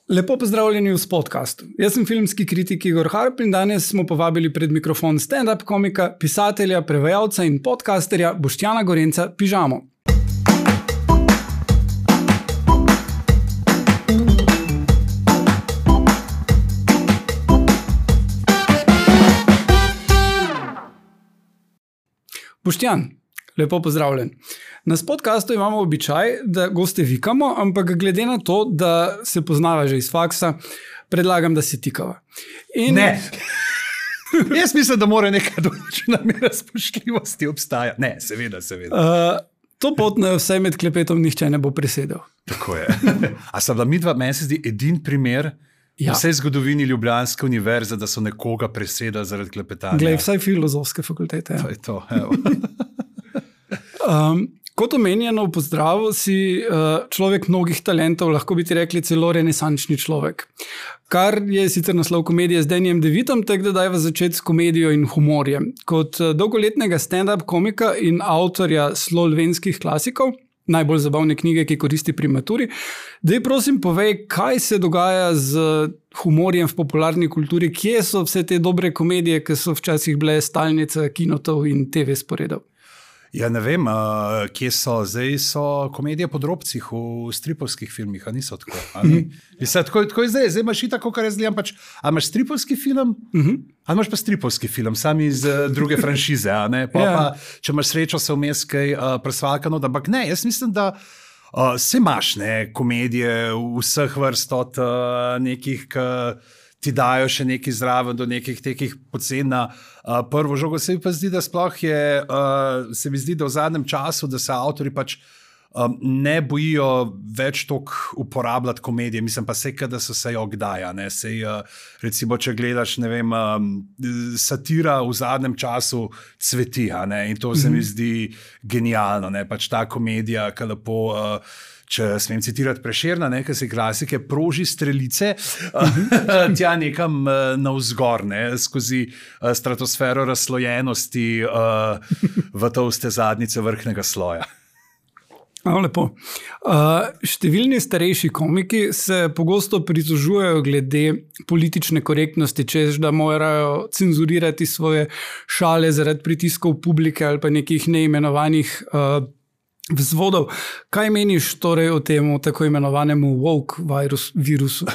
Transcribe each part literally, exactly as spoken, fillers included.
Lepo pozdravljeni v podkastu. Jaz sem filmski kritik Igor Harp in danes smo povabili pred mikrofon stand-up komika, pisatelja, prevajalca in podcasterja Boštjana Gorenca Pižamo. Boštjan, lepo pozdravljen. Na podkastu imamo običaj, da goste vikamo, ampak glede na to, da se poznava že iz faksa, predlagam, da se tikava. In... Ne. Jaz mislim, da mora neka določena mera spoštljivosti obstaja. Ne, seveda, seveda. Uh, to pot na vse med klepetom nihče ne bo presedel. Tako je. A sta bila midva, meni se zdi, edin primer ja. v vsej zgodovini Ljubljanske univerze, da so nekoga presedali zaradi klepetanja. Glej, vsaj filozofske fakultete. Ja. To je to, evo. um, Kot omenjeno v pozdravu, si uh, človek mnogih talentov, lahko bi ti rekli celo renesančni človek. Kar je sicer naslov komedije z Dannyjem DeVitom, tako da dajva začeti s komedijo in humorjem. Kot uh, dolgoletnega stand-up komika in avtorja slovenskih klasikov, najbolj zabavne knjige, ki koristi pri maturi, daj prosim povej, kaj se dogaja z humorjem v popularni kulturi, kje so vse te dobre komedije, ki so včasih bile stalnica kinotov in te ve sporedov. Ja, ne vem, uh, kje so. Zdaj so komedije po drobcih v stripovskih filmih, a niso tako? A ni? Mislim, tako, tako je zdaj, zdaj imaš tako, kar jaz gledam, pač, a imaš stripovski film, uh-huh. a imaš pa stripovski film, sami iz uh, druge franšize, a ne? Pa, yeah. pa, če imaš srečo, se vmes kaj uh, presvalkano, da ampak ne, jaz mislim, da uh, se imaš ne, komedije vseh vrst od uh, nekih, k, ti dajo še nekaj zraven do nekih tekih pocen na uh, prvo žogo. Se mi pa zdi, da sploh je, uh, se mi zdi, da v zadnjem času, da se avtori pač um, ne bojijo več toliko uporabljati komedije. Mislim pa sej, da so se jo kdaja. Ne? Sej, uh, recimo, če gledaš, ne vem, um, satira v zadnjem času cveti, a ne? In to se mi zdi genialno. Ne? Pač ta komedija, ki lepo... Uh, Če smem citirati Prešerna, nekaj se klasike, proži strelice tja nekam navzgor, ne, skozi stratosfero razslojenosti v tolste zadnjice vrhnega sloja. No, lepo. Uh, številni starejši komiki se pogosto pritožujejo glede politične korektnosti, češ da morajo cenzurirati svoje šale zaradi pritiskov publike ali pa nekih neimenovanih uh, vzvodov. Kaj meniš torej o tem tako imenovanemu woke virus, virusu?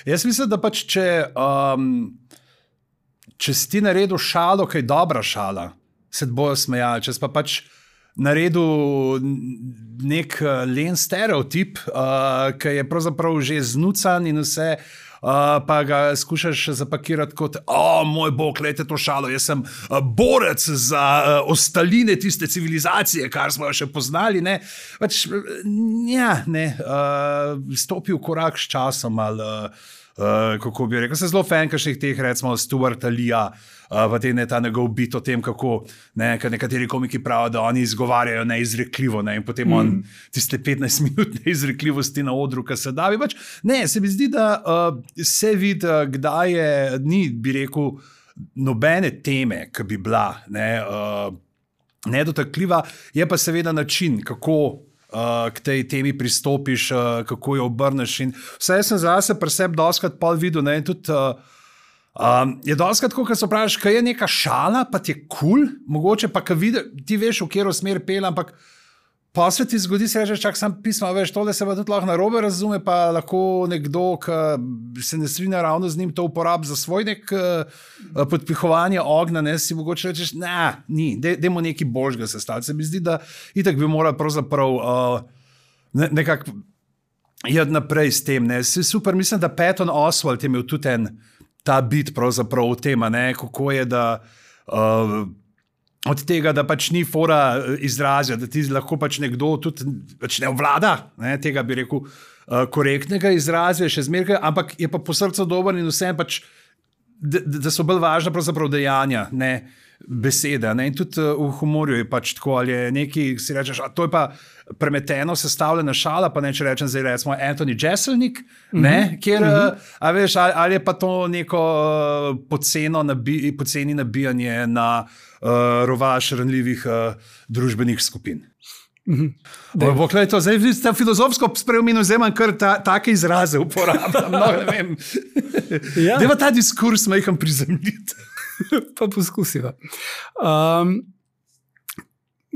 Jaz mislim, da pač če, um, če si ti naredil šalo, kaj dobra šala, se te bojo smejali. Če si pa pač naredil nek len stereotip, uh, ki je pravzaprav že znucan in vse, Uh, pa ga skušaš zapakirati kot, o, moj bog, gledajte to šalo, jaz sem uh, borec za uh, ostaline tiste civilizacije, kar smo jo še poznali, ne, pač, ja, ne, uh, stopil korak s časom, ali, uh, uh, kako bi rekel, se zelo fan kakšnih teh, recimo, Stuarta Leeja, uh, v tem je ta njegov bit o tem, kako, ne, nekateri komiki pravijo, da oni izgovarjajo neizrekljivo, ne, in potem mm. on tiste petnajst minut neizrekljivosti na odru, ki se davi, pač, ne, se mi zdi, da uh, se vidi, kdaj je, ni, bi rekel, nobene teme, ki bi bila ne, uh, nedotakljiva, je pa seveda način, kako uh, k tej temi pristopiš, uh, kako jo obrneš. In vse jaz sem zase pri sebi doskrat pol videl, ne, in tudi uh, um, je doskrat tako, kad se vprašaš, kaj je neka šala, pa ti je kul, cool, mogoče pa, kad vidi, ti veš, v kjero smer pel, ampak pa se ti zgodi, se rečeš, čak sam pisma, veš, tole se pa tudi lahko narobe razume, pa lahko nekdo, ki se ne strinja ravno z njim, to uporabi za svoj nek uh, podpihovanje ognja, ne, si mogoče rečeš, ne, ni, dajmo neki božga sestaviti. Se mi zdi, da itak bi morali pravzaprav uh, ne, nekako jed naprej s tem, ne. Si super, mislim, da Patton Oswalt je imel tudi en ta bit pravzaprav v tem, ne, kako je, da uh, od tega, da pač ni fora izrazja, da ti lahko pač nekdo tudi pač ne vlada, ne, tega bi rekel, uh, korektnega izrazja, še zmeraj, ampak je pa po srcu dober in vsem pač, da, da so bolj važna pravzaprav dejanja, ne besede. Ne, in tudi uh, v humorju je pač tako, ali je neki, si rečeš, a to je pa premeteno sestavljena šala, pa ne, če rečem zdaj recimo Anthony Jeselnik, mm-hmm. ne, kjer, mm-hmm. a veš, ali, ali je pa to neko uh, poceno nabi, poceni nabijanje na uh, rovaš ranljivih uh, družbenih skupin. Bo, gled, to, zdaj ste filozofsko spremenili, zdaj imam kar ta, take izraze uporabljam. No, ne vem. Ja. Deva ta diskurs majhen prizemljiti. Pa poskusiva. Um,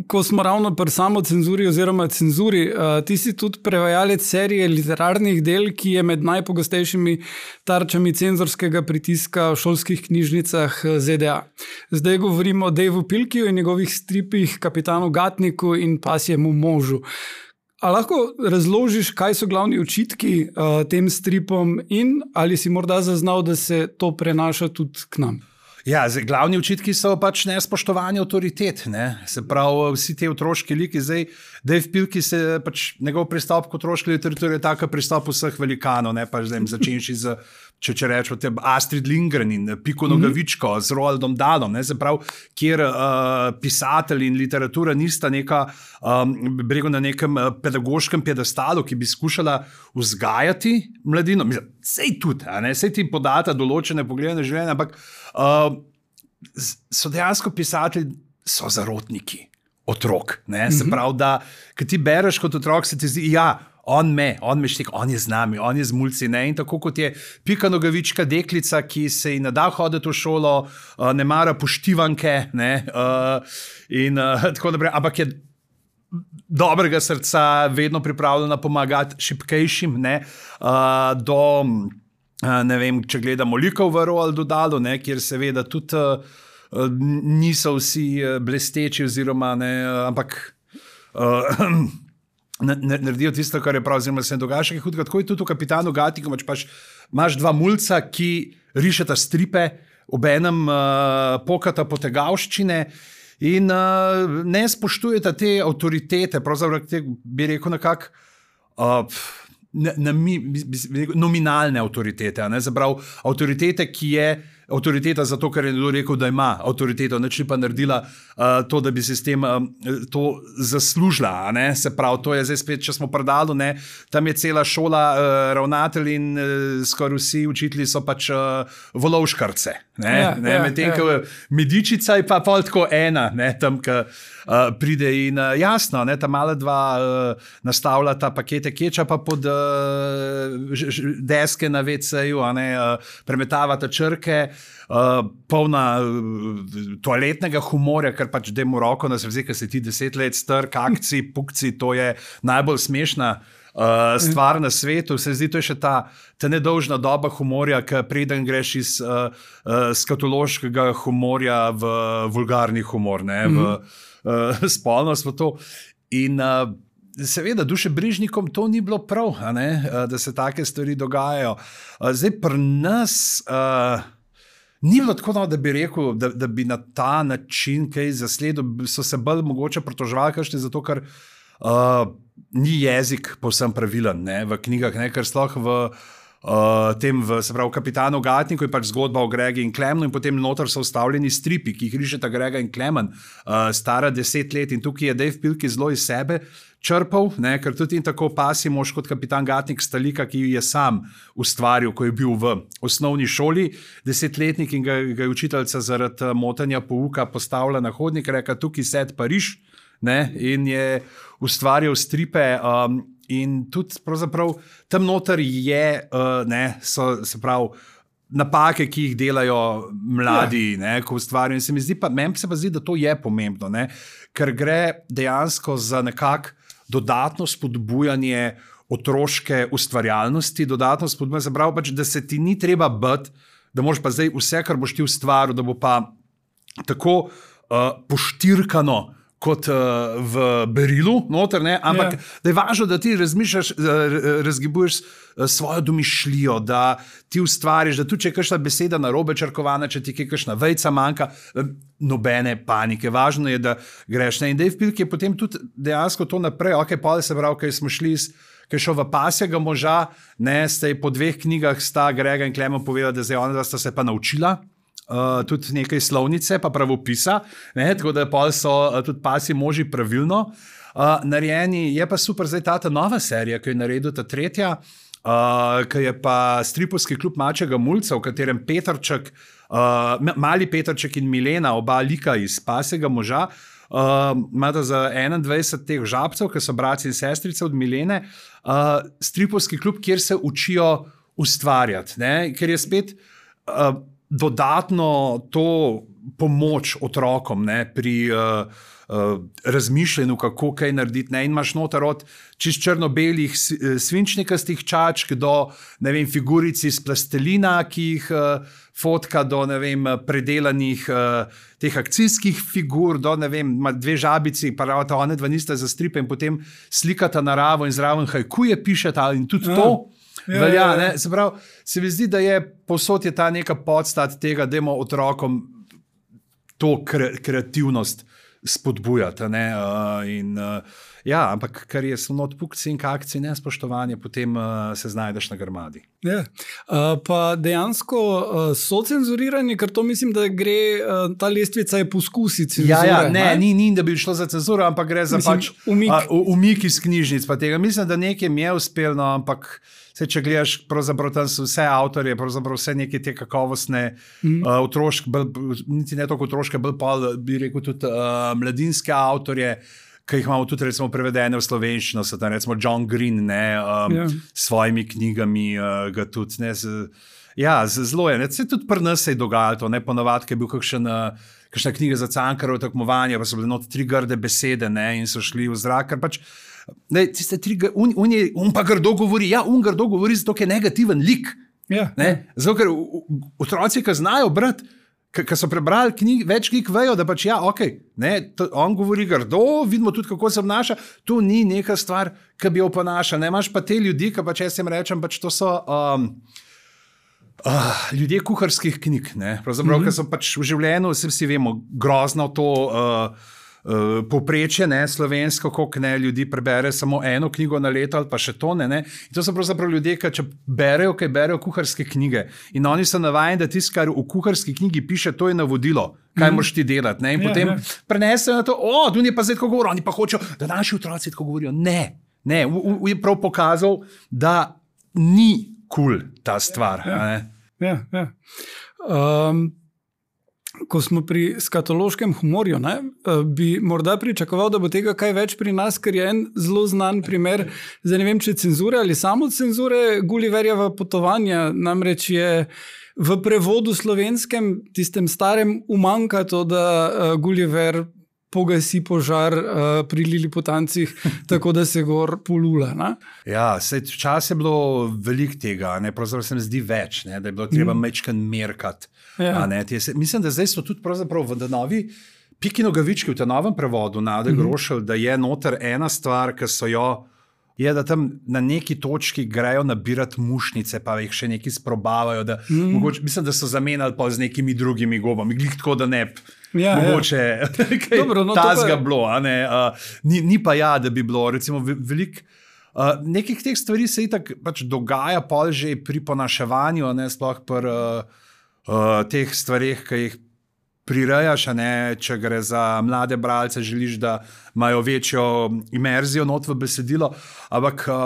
ko smo ravno pri samocenzuri oziroma cenzuri, uh, ti si tudi prevajalec serije literarnih del, ki je med najpogostejšimi tarčami cenzorskega pritiska v šolskih knjižnicah Z D A. Zdaj govorimo o Daveu Pilkiju in njegovih stripih Kapitanu Gatniku in Pasjemu možu. A lahko razložiš, kaj so glavni očitki uh, tem stripom in ali si morda zaznal, da se to prenaša tudi k nam? Ja, zdaj, glavni očitki so pač nespoštovanje avtoritet. Ne? Se pravi, vsi te otroški liki, zdaj, Dave Pilkey, se pač njegov pristop k otroški literaturi je tako pristop vseh velikanov, ne pa zdaj začenši z, če, če rečemo, te Astrid Lindgren in Piko Nogavičko, mm-hmm. z Roaldom Dahlom, ne? Se pravi, kjer uh, pisatelj in literatura nista neka, um, brego na nekem uh, pedagoškem piedestalu, ki bi skušala vzgajati mladino. Mislim, sej tudi, a ne? Sej ti podata določene poglede na življenje, ampak Uh, so dejansko pisatelji, so zarotniki otrok. Ne? Mm-hmm. Se pravi, da kad ti bereš kot otrok, se ti zdi, ja, on me, on me štek, on je z nami, on je z mulci. Ne? In tako kot je Pika Nogavička deklica, ki se ji ne da hoditi v šolo, uh, ne mara poštivanke, ne? Uh, in uh, tako naprej, ampak je dobrega srca, vedno pripravljena pomagati šibkejšim, ne? Uh, do... Ne vem, če gledamo likov v Roaldu Dahlu, ne, kjer seveda tudi uh, niso vsi blesteči, oziroma ne, ampak uh, naredijo tisto, kar je prav, oziroma se ne dogaja še kaj hudega. Tako je tudi v Kapitanu Gatniku, pač imaš dva mulca, ki rišeta stripe, obenem uh, pokata potegavščine in uh, ne spoštujeta te avtoritete, pravzaprav te, bi rekel nekako, uh, Na, na, mi, bi, bi, nominalne avtoritete, ne? Zaprav avtoritete, ki je avtoriteta zato, ker je nekdo rekel, da ima avtoriteto, neč pa naredila uh, to, da bi se s tem um, to zaslužila, ne? Se pravi, to je zdaj spet, če smo predali, ne? Tam je cela šola uh, ravnatelj in uh, skoraj vsi učitelji so pač uh, volovškarce, ne? Ja, ne? Ja, medtem, ja. Ko medičica je pa pol tako ena, ne? Tam, ko uh, pride in uh, jasno, ne? Ta mala dva uh, nastavlja ta pakete kečapa pod uh, ž, ž, deske na ve ce-ju, uh, premetavata črke, Uh, polna uh, toaletnega humorja, ker pač demo roko, da se vze, ker se ti deset let star, kakci, pukci, to je najbolj smešna uh, stvar na svetu. Se zdi, to je še ta, ta nedolžna doba humorja, ki preden greš iz uh, uh, skatološkega humorja v vulgarni humor, ne, v uh, spolnost, v to. In uh, seveda, dušebrižnikom to ni bilo prav, a ne, uh, da se take stvari dogajajo. Uh, zdaj pri nas... Uh, Ni bilo tako, no, da bi rekel, da, da bi na ta način kaj zasledil, so se bolj mogoče pritoževali, kakšne zato, ker uh, ni jezik povsem pravilen, ne, v knjigah, ne, ker sploh v uh, tem, v, se pravi, Kapitanu Gatniku je pač zgodba o Gregi in Klemnu in potem noter so vstavljeni stripi, ki jih rišeta Grega in Klemen, uh, stara deset let in tukaj je Dave Pilkey zelo iz sebe črpal, ne, ker tudi in tako Pasji mož kot Kapitan Gatnik sta lika, ki je sam ustvaril, ko je bil v osnovni šoli desetletnik in ga, ga je učiteljica zaradi motanja pouka postavila na hodnik, reka tukaj sed Pariž, ne, in je ustvarjal stripe um, in tudi pravzaprav tam noter je, uh, ne, so, se pravi, napake, ki jih delajo mladi, ja. Ne, ko ustvarjajo. In se mi zdi pa, meni se pa zdi, da to je pomembno, ne, ker gre dejansko za nekak dodatno spodbujanje otroške ustvarjalnosti, dodatno spodbujanje, se pravi pač, da se ti ni treba bati, da moraš pa zdaj vse, kar boš ti ustvaril, da bo pa tako uh, poštirkano kot uh, v berilu, noter, ne? Ampak yeah. Da je važno, da ti razmišljaš, razgibuješ svojo domišljijo, da ti ustvariš, da tudi če je kakšna beseda narobe črkovana, če ti je kakšna vejca manjka, nobene panike. Važno je, da greš. Ne? In Dave Pilkey je potem tudi dejansko to naprej, ok, pa se pravi, kaj smo šli iz ki je šel v Pasjega moža, ne, ste po dveh knjigah sta Grega in Klemen povedali, da zdaj ona sta se pa naučila uh, tudi nekaj slovnice, pa pravopisa, ne, tako da pol so uh, tudi Pasji moži pravilno uh, narejeni. Je pa super zdaj ta, ta nova serija, ki je naredil ta tretja, uh, ki je pa stripovski klub Mačjega mulca, v katerem Petrček, uh, mali Petrček in Milena, oba lika iz Pasjega moža, uh, imata za enaindvajset teh žabcev, ki so bratci in sestrice od Milene, uh, stripovski klub, kjer se učijo ustvarjati, ne? Ker je spet uh, dodatno to pomoč otrokom, ne? Pri uh, Uh, razmišljanju, kako kaj narediti. Ne? In imaš noter od čist črno-belih svinčnikastih čačk do, ne vem, figuric iz plastelina, ki jih uh, fotka, do, ne vem, predelanih uh, teh akcijskih figur, do, ne vem, dve žabici, pa ravno one dva nista za stripe in potem slikata naravo in zraven hajkuje pišeta in tudi ja. To ja, velja. Ja, ja. Se pravi, se mi zdi, da je povsod je ta neka podstat tega, da imamo otrokom to kre, kreativnost spodbujati. Ne? Uh, in, uh, ja, ampak kar je samo odpukci in kakci, ne spoštovanje, potem uh, se znajdeš na grmadi. Ja. Uh, pa dejansko uh, so cenzurirani, ker to mislim, da gre, uh, ta lestvica je poskusi cenzure. Ja, ja, ne, ne? Ni, ni, da bi šlo za cenzuro, ampak gre za mislim, pač umik. Uh, umik iz knjižnic. Pa tega. Mislim, da nekem je uspelno, ampak se, če gledaš, pravzaprav tam so vse avtorje, pravzaprav vse neke te kakovostne mm. uh, otroške, niti ne toliko otroške, bolj pa bi rekel tudi uh, mladinske avtorje, ki jih imamo tudi recimo prevedene v slovenščino, so tam recimo John Green, ne, um, yeah. s svojimi knjigami uh, ga tudi, ne, z, ja, z, zelo je, ne, se tudi pri nas se je dogajalo to, ne, ponovadi, ki je bil kakšen, uh, kakšna knjiga za Cankarjevo tekmovanje, pa so bile not tri grde besede, ne, in so šli v zrak, ker pač ne, tiste tri, un, un, je, un pa grdo govori, ja, un grdo govori zato, ker je negativen lik, yeah. ne, zato, ker otroci, ki znajo brati, ki so prebrali knjig, več knjig, vejo, da pač ja, ok, ne, to, on govori grdo, vidimo tudi, kako se obnaša, to ni neka stvar, ki bi jo ponaša, ne, imaš pa te ljudi, ki pač jaz jim rečem, pač to so um, uh, ljudje kuharskih knjig, ne, pravzaprav, mm-hmm. ki so pač v življenju, vsi, vsi vemo, grozno to uh, Uh, povprečje, ne, slovensko, koliko ne ljudi prebere samo eno knjigo na leto ali pa še to, ne, ne. In to so pravzaprav ljudje, ki če berejo, kaj berejo kuharske knjige in oni so navajeni, da tisto, kar v kuharski knjigi piše, to je navodilo, kaj mm. moraš ti delati, ne, in ja, potem ja. Prenesejo na to, o, tu je pa zdaj tako govorijo, oni pa hočejo, da naši otroci tako govorijo. Ne, ne, v, v, je prav pokazal, da ni kul cool ta stvar. Ja, ne. ja, ja. Um, Ko smo pri skatološkem humorju, ne, bi morda pričakoval, da bo tega kaj več pri nas, ker je en zelo znan primer, zdaj ne vem, če cenzure ali samo cenzure Gulliverjeva potovanja, namreč je v prevodu slovenskem, tistem starem, umanjka to, da uh, Gulliver pogasi požar uh, pri Liliputancih, tako da se gor polula. Ne? Ja, včasih je bilo veliko tega, ne, pravzaprav se mi zdi več, ne, da je bilo treba mm. mečken merkati. Ja. Ne, se, mislim, da zdaj so tudi pravzaprav v novi Piki Nogavički v tem novem prevodu Nade mm-hmm. Grošelj, da je noter ena stvar, ki so jo, je, da tam na neki točki grejo nabirati mušnice, pa jih še neki sprobavajo, da mm. mogoče, mislim, da so zamenjali pa z nekimi drugimi gobami, glih tako, da ne ja, mogoče ja. kaj Dobro, no, tazga je bilo, a ne, uh, ni, ni pa ja, da bi bilo, recimo veliko Uh, nekih teh stvari se itak pač dogaja pol že pri ponaševanju, ne, sploh pri uh, uh, teh stvarih, ki jih prirejaš, ne, če gre za mlade bralce, želiš, da imajo večjo imerzijo not v besedilo, ampak uh,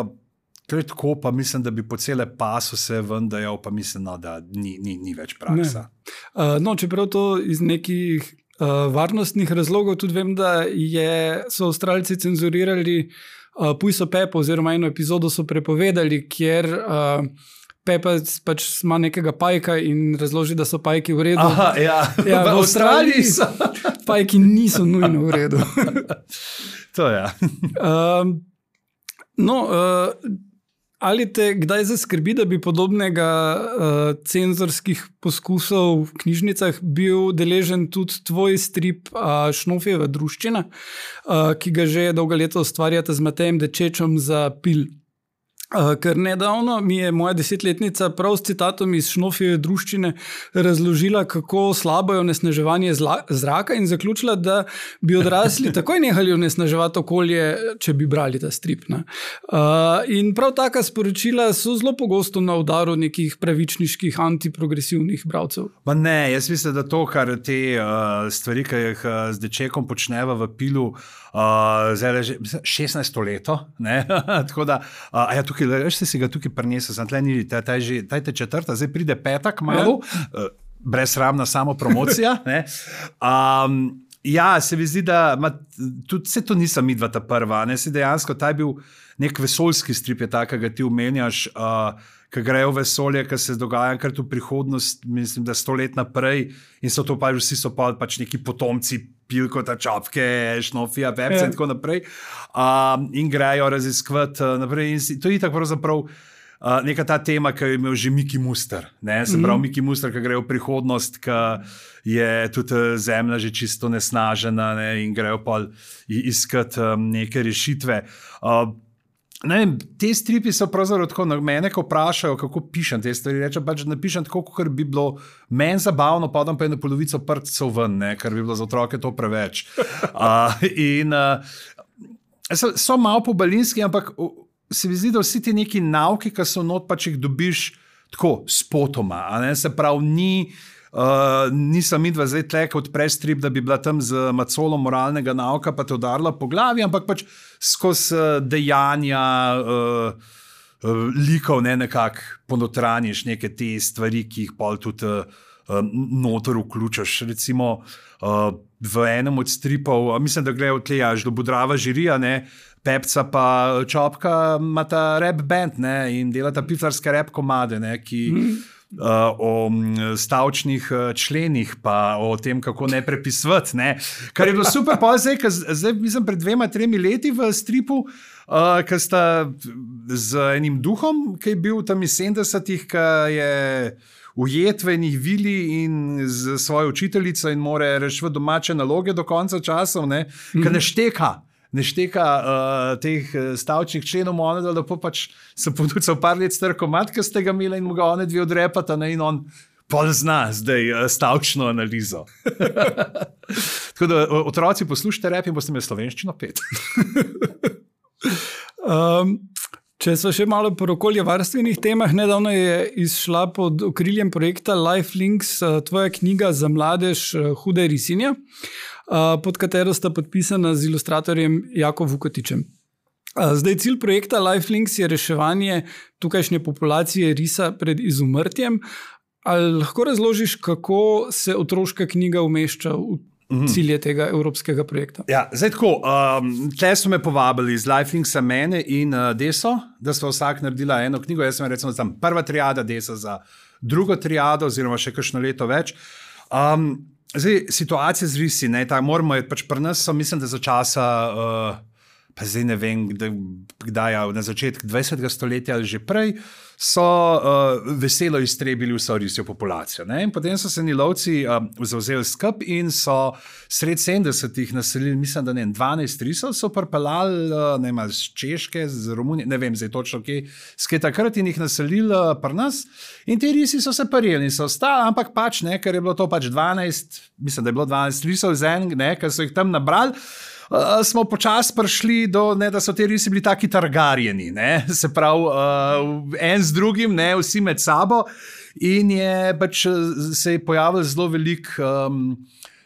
to je tako, pa mislim, da bi po cele pasu se vendajal, pa mislim, no, da ni, ni, ni več praksa. Uh, no, čeprav to iz nekih uh, varnostnih razlogov tudi vem, da je, so Avstralci cenzurirali Uh, Pujso Pepo, oziroma eno epizodo so prepovedali, kjer uh, Pepa pač ima nekega pajka in razloži, da so pajki v redu. Aha, ja. Ja, v Avstraliji so pajki niso nujno v redu. To je. uh, no, uh, ali te kdaj zaskrbi, da bi podobnega uh, cenzorskih poskusov v knjižnicah bil deležen tudi tvoj strip uh, Šnofjeva druščina, uh, ki ga že dolga leta ustvarjate z Matejem Dečečom za Pil. Uh, ker nedavno mi je moja desetletnica prav s citatom iz Šnofjeve druščine razložila, kako slabo je onesnaževanje zla, zraka in zaključila, da bi odrasli takoj nehali onesnaževati okolje, če bi brali ta strip. Ne? Uh, in prav taka sporočila so zelo pogosto na udaru nekih pravičniških antiprogresivnih bralcev. Ma ne, jaz mislim, da to, kar te uh, stvari, ki jih uh, z Dečekom počneva v Pilu, Uh, zdaj že šestnajsto leto, ne, tako da, uh, a ja, tukaj, veš, si ga tukaj prinesel, sem tle ni, taj, taj, že, taj te četrta, zdaj pride petak malo, uh, brezsramna samo promocija, ne, um, Ja, se mi zdi, da ma, tudi se to nisem midva ta prva. Ne? Se dejansko ta je bil nek vesoljski strip, je ta, ki ga ti omenjaš, uh, ki grejo v vesolje, ki se dogaja kar v prihodnost, mislim, da sto let naprej in so to pa vsi so pa pač neki potomci Pilkota, Čapke, Šnofija, Pepsa in tako naprej. Uh, in grejo raziskovati uh, naprej. In si, to je tako pravzaprav Uh, neka ta tema, ki je imel že Miki Muster. Ne? Se pravi, mm-hmm. Miki Muster, ki gre v prihodnost, ki je tudi zemlja že čisto nesnažena, ne? In grejo pa iskati um, neke rešitve. Uh, ne vem, te stripi so pravzaprav tako, na mene, ko vprašajo, kako pišem te stvari, rečem pač, da napišem tako, kot bi bilo meni zabavno, podam pa eno polovico prtcev ven, ne? Ker bi bilo za otroke to preveč. Uh, in uh, so, so malo pobalinski, ampak se mi zdi, da vsi ti neki nauki, ki so not, pač jih dobiš tako spotoma. Se pravi, ni, uh, nisem midva zdaj tle, kot prestrip, da bi bila tam z macolom moralnega nauka, pa te udarila po glavi, ampak pač skozi dejanja uh, uh, likov ne, nekako ponotraniš neke te stvari, ki jih pol tudi uh, noter vključaš. Recimo uh, v enem od stripov, mislim, da gledajo tle, až do Budrava žirija, ne, Pepca pa Čopka imata rap band, ne, in delata piflarske rap komade, ne, ki mm. uh, o stavčnih členih pa o tem, kako ne prepisvati, ne. Kar je bilo super, pa zdaj, zdaj mislim, pred dvema, tremi leti v stripu, uh, ki sta z enim duhom, ki je bil tam iz sedemdesetih, ki je ujet v enih vili in z svojo učiteljico in more rešiti domače naloge do konca časov, ne, mm. ker ne šteka. ne šteka uh, teh stavčnih členov, ona da lepo pač se poducal par let star komad, ki ste ga imeli in mu ga one dve odrepata, ne, in on pol zna zdaj uh, stavčno analizo. Tako da otroci poslušajte rap in boste imeli slovenščino pet. um, če so še malo po okoljevarstvenih temah, nedavno je izšla pod okriljem projekta Lifelinks uh, tvoja knjiga za mladež uh, Huda risinja, pod katero sta podpisana z ilustratorjem Jako Vukotičem. Zdaj, cilj projekta Lifelinks je reševanje tukajšnje populacije risa pred izumrtjem. Ali lahko razložiš, kako se otroška knjiga umešča v cilje tega evropskega projekta? Ja, zdaj tako, um, tle so me povabili z Lifelinksa mene in uh, Deso, da smo vsak naredila eno knjigo. Jaz sem recimo tam prva triada, Desa za drugo triado, oziroma še kakšno leto več. Um, Zdaj, situacija z risi, ne, ta moramo je pač pri nas, so, mislim, da za časa, uh, pa zdaj ne vem, kdaj, na začetku dvajsetega stoletja ali že prej, so uh, veselo iztrebili vso risjo populacijo. Ne? In potem so se ni lovci uh, zavzeli skup in so sred sedemdesetih naselili, mislim, da ne, dvanajst risov so pripeljali, uh, ne vem, z Češke, z Romunije, ne vem, zdaj točno kje, skaj takrat in jih naselili uh, pri nas. In ti risi so se prijeli in so ostali, ampak pač ne, ker je bilo to pač dvanajst, mislim, da je bilo dvanajst risov z en, ne, ker so jih tam nabrali. Uh, smo počasi prišli do, ne, da so te risi bili taki targarjeni, ne, se pravi, uh, en z drugim, ne, vsi med sabo, in je pač se je pojavil zelo velik um,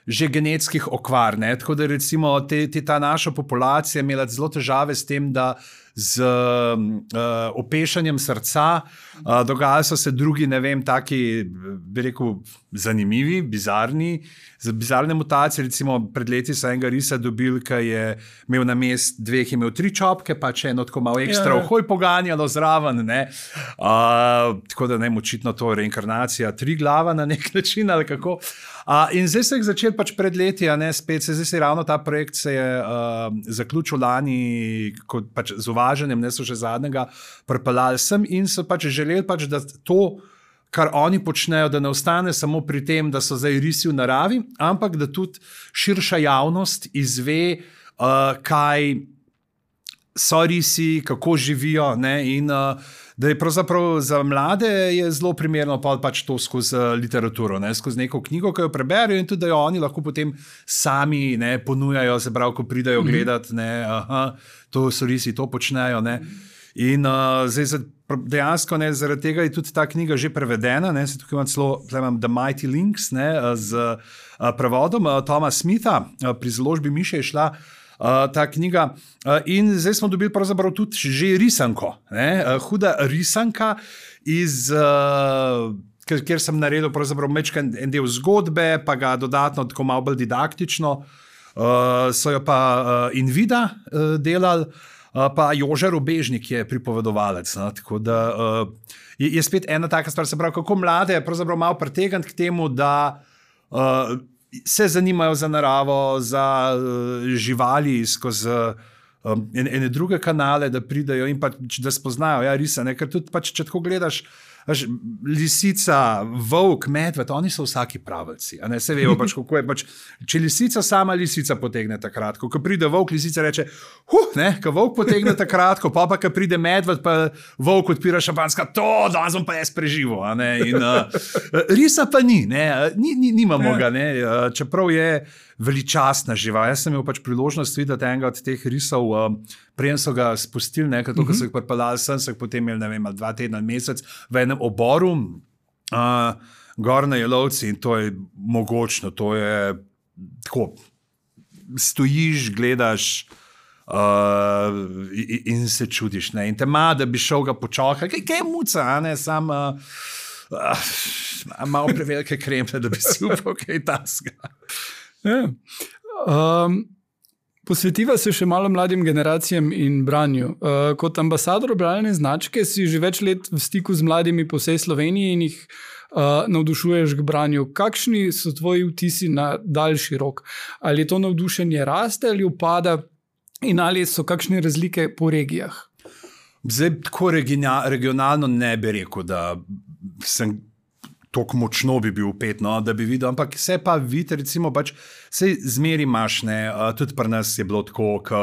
že genetskih okvar, ne, tako da recimo te, te ta naša populacija imela zelo težave s tem, da z uh, opešanjem srca uh, dogajali so se drugi, ne vem, taki, bi rekel, zanimivi, bizarni, bizarne mutacije. Recimo pred leti so enega risa dobili, ki je imel na mest dveh, imel tri čopke, pa če eno tako malo ekstra ohoj poganjalo zraven, ne. Uh, tako da ne, očitno to reinkarnacija tri glava na nek način ali kako. Uh, in zdaj se je začel pač pred leti, a ne spet, se zdaj se ravno ta projekt se je uh, zaključil lani, kot pač z uvaženjem, ne so še zadnjega pripeljali sem in so pač želeli pač, da to, kar oni počnejo, da ne ostane samo pri tem, da so zdaj risi v naravi, ampak da tudi širša javnost izve, uh, kaj so risi, kako živijo, ne, in uh, da je pravzaprav za mlade je zelo primerno pa pač to skozi literaturo, ne, skozi neko knjigo, ki jo preberejo in tudi, da jo oni lahko potem sami, ne, ponujajo, se pravi, ko pridajo mm-hmm. gledati, ne, aha, to so risi, to počnejo, ne. In uh, zdaj dejansko, ne, zaradi tega je tudi ta knjiga že prevedena, ne, se tukaj imam celo, imam The Mighty Links, ne, z uh, prevodom uh, Toma Smitha, uh, pri založbi Miše je šla Uh, ta knjiga. Uh, in zdaj smo dobili pravzaprav tudi že risanko, ne? Uh, huda risanka, iz, uh, kjer sem naredil pravzaprav mečken en del zgodbe, pa ga dodatno tako malo bolj didaktično uh, so jo pa uh, Invida uh, delali, uh, pa Jože Robežnik je pripovedovalec. No? Tako da uh, je, je spet ena taka stvar, se pravi, kako mlade pravzaprav malo pritegniti k temu, da uh, se zanimajo za naravo, za uh, živali skozi um, ene druge kanale, da pridejo in pa, da spoznajo, ja, risa, ne? Ker tudi pač, če tako gledaš, Až, lisica, volk, medved, oni so vsaki pravilci. Se vejo, pač, kako je. Pač, če lisica sama lisica potegne takrat, ko pride volk, lisica reče, huh, ne, ko volk potegne takrat, pa pa, ko pride medved, pa volk odpira šampanska, to, danes bom pa jaz preživel. In, uh, risa pa ni, ne, ni, ni nimamo ga, ne, čeprav je veličastna živa. Jaz sem imel pač priložnost videti enega od teh risov, um, prejem so ga spustili, nekaj, to, ko so jih pripeljali sem, so jih potem imeli, ne vem, dva tedna, mesec, v enem oboru, uh, gor na Jelovci in to je mogočno, to je tako, stojiš, gledaš uh, in, in se čudiš, ne, in te ima, da bi šel ga počakati, kaj, kaj je muca, a ne, sam uh, uh, malo prevelike krempe, da bi si upal kaj tasga. Ja. Um, posvetiva se še malo mladim generacijam in branju. Uh, kot ambasador bralne značke si že več let v stiku z mladimi po vsej Sloveniji in jih uh, navdušuješ k branju. Kakšni so tvoji vtisi na daljši rok? Ali to navdušenje raste ali upada in ali so kakšne razlike po regijah? Zdaj, tako regionalno ne bi rekel, da sem tako močno bi bil upet, no, da bi videl, ampak se pa vidi, recimo, pač se zmeri imaš, ne, tudi pri nas je bilo tako, ko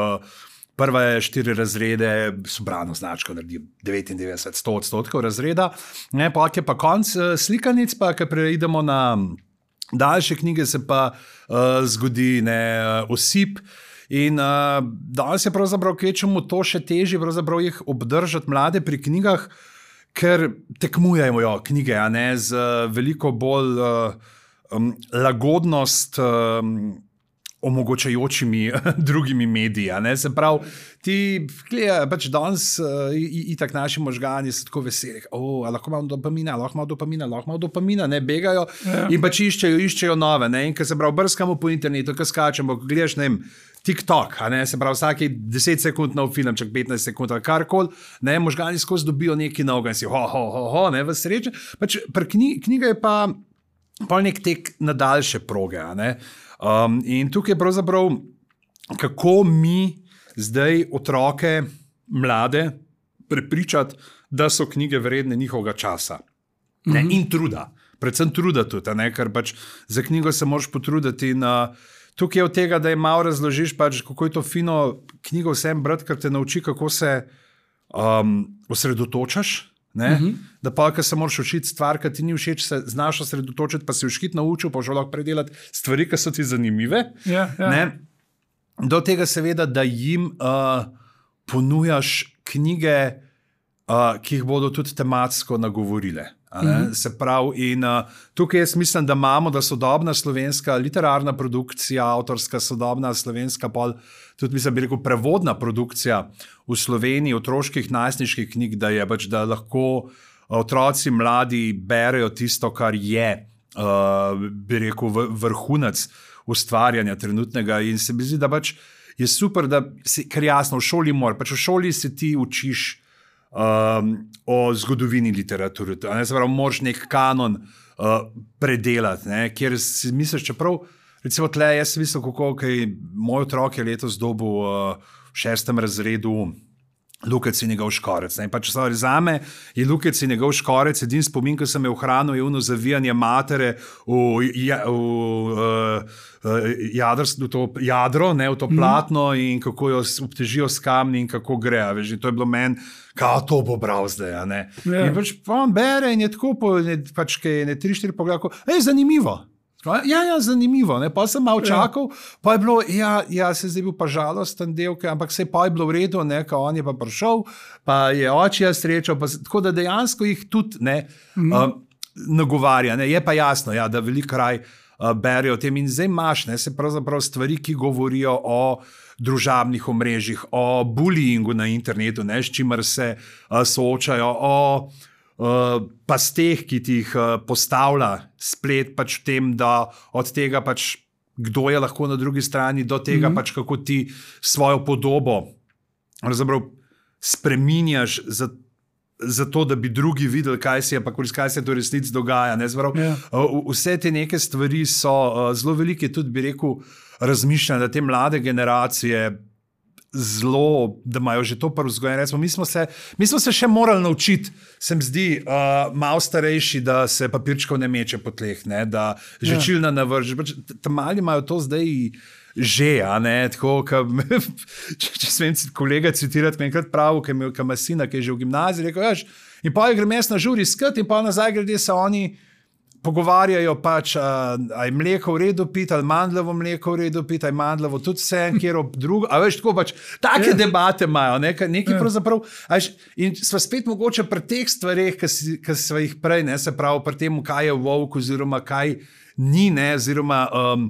prve štiri razrede so brano značko, naredi devetindevetdeset sto odstotkov razreda, ne, pa je pa konc slikanic, pa ko preidemo na daljše knjige, se pa uh, zgodi, ne, osip in uh, danes je pravzaprav kvečemu to še težje, pravzaprav jih obdržati mlade pri knjigah, ker tekmujejo knjige, a ne, z veliko bolj uh, um, lagodnost um, omogočajočimi drugimi mediji. A ne. Se pravi, ti gledaj, pač danes uh, itak naši možgani so tako veseli, oh, lahko imam dopamina, lahko imam dopamina, lahko imam dopamina, ne, begajo ja. In pač iščejo, iščejo nove. Ne. In ko se pravi, brskamo po internetu, ko skačemo, ko gledaš, ne vem, TikTok, a ne, se pravi, vsaki deset sekund nov film, čak petnajst sekund ali karkoli, ne, možgani skozi dobijo nekaj novega in si ho, ho, ho, ho, ne, v sreče. Pač pri knjigi, knjiga je pa pol nek tek na daljše proge, a ne. Um, in tukaj je pravzaprav, kako mi zdaj otroke, mlade, prepričati, da so knjige vredne njihovega časa. Ne, mm-hmm. In truda. Predvsem truda tudi, a ne, ker pač za knjigo se moraš potruditi in uh, tukaj je od tega, da je malo razložiš, pač, kako je to fino knjigo vsem brati, ker te nauči, kako se um, osredotočaš. Mm-hmm. Da pa, ko se moraš učiti stvar, ki ti ni všeč, se znaš osredotočiti, pa si vškit naučil, pa že lahko predelati stvari, ki so ti zanimive. Yeah, yeah. Do tega seveda, da jim uh, ponujaš knjige, uh, ki jih bodo tudi tematsko nagovorile. Mm-hmm. Se pravi, in uh, tukaj jaz mislim, da imamo, da sodobna slovenska literarna produkcija, avtorska sodobna slovenska, pol, tudi mislim, bi rekel, prevodna produkcija v Sloveniji, otroških, najstniških knjig, da je pač, da lahko otroci, mladi berejo tisto, kar je, uh, bi rekel, vrhunec ustvarjanja trenutnega in se mi zdi, da pač je super, da si, ker jasno, v šoli mora, pač v šoli se ti učiš Um, o zgodovini literature. Ne, se pravi, moraš nek kanon uh, predelati, ne, kjer si misliš, čeprav, recimo tle, jaz sem mislil, kako, kaj moj otrok je letos dobil uh, v šestem razredu Lukec in njegov škorec. Ne, pa če se zame je Lukec in njegov škorec, edin spomin, ko sem je ohranil, je ono zavijanje matere v, ja, v uh, Jadrst, v to jadro, ne, v to platno mm. in kako jo obtežijo s kamni in kako gre. Veš, to je bilo meni, kao to bo bral zdaj. Ne. Yeah. In pač on bere in je tako, po, ne, pač kaj ne tri, štiri pogleda, ej, zanimivo. Ja, ja, zanimivo. Ne. Pa sem malo čakal, yeah. pa je bilo, ja, ja, se zdaj bil pa žalosten del, ampak se pa je bilo v redu, ne, ko on je pa prišel, pa je očija srečal, pa, tako da dejansko jih tudi ne, mm. uh, nagovarja. Ne. Je pa jasno, ja, da veliko kraj berijo o tem in zdaj imaš, ne, se pravzaprav stvari, ki govorijo o družabnih omrežjih, o bullyingu na internetu, ne, s čimer se uh, soočajo, o uh, pasteh, ki ti jih uh, postavlja splet pač v tem, da od tega pač kdo je lahko na drugi strani, do tega mm-hmm. pač kako ti svojo podobo spreminjaš za, za to, da bi drugi videli, kaj se je, pa kaj se to resnici dogaja. Ne? Zbrav, yeah. Vse te neke stvari so zelo velike, tudi bi rekel, razmišljanje, da te mlade generacije zelo, da imajo že to prvo vzgojeno. Mi, mi smo se še morali naučiti, se mi zdi, uh, malo starejši, da se papirčkov ne meče po tleh, ne? Da žvečilna ja. navrže. Tam mali imajo to zdaj že, a ne, tako, ka, če, če smem kolega citirati, mi enkrat pravi, ki ima sina, ki je že v gimnaziji, rekel, jaš, in pa je grem jaz na žuri skat in pa nazaj grede se oni pogovarjajo pač, a, a je mleko v redu piti, ali mandljevo mleko v redu piti, ali mandljevo tudi vse, kjer ob drugo, a veš, tako pač, take yeah. debate imajo, nekaj, nekaj yeah. pravzaprav, a veš, in sva spet mogoče pri teh stvareh, ki sva jih prej, ne, se pravi, pri tem, kaj je volk, oziroma kaj ni, ne, oziroma um,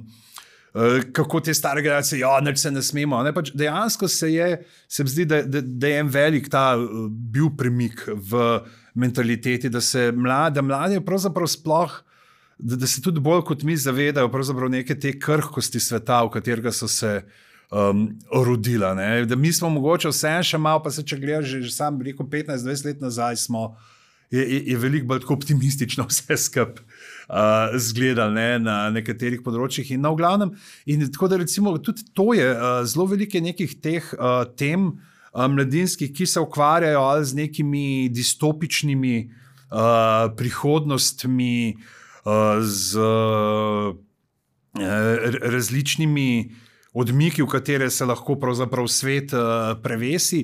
uh, kako te stare generacije, ja, nič se ne smemo, ne, pač dejansko se je, se mi zdi, da, da, da je en velik ta uh, bil premik v mentaliteti, da se mlade, mlade pravzaprav sploh, da, da se tudi bolj kot mi zavedajo pravzaprav neke te krhkosti sveta, v katerega so se um, rodila. Ne? Da mi smo mogoče vse še malo, pa se če gledaš, že, že sam rekel petnajst dvajset let nazaj smo, je, je, je veliko bolj tako optimistično vse skup uh, zgledali, ne? Na nekaterih področjih in na v glavnem. In tako da recimo tudi to je uh, zelo velike nekih teh uh, tem, mladinskih, ki se ukvarjajo ali z nekimi distopičnimi uh, prihodnostmi, uh, z uh, različnimi odmiki, v katere se lahko pravzaprav svet uh, prevesi.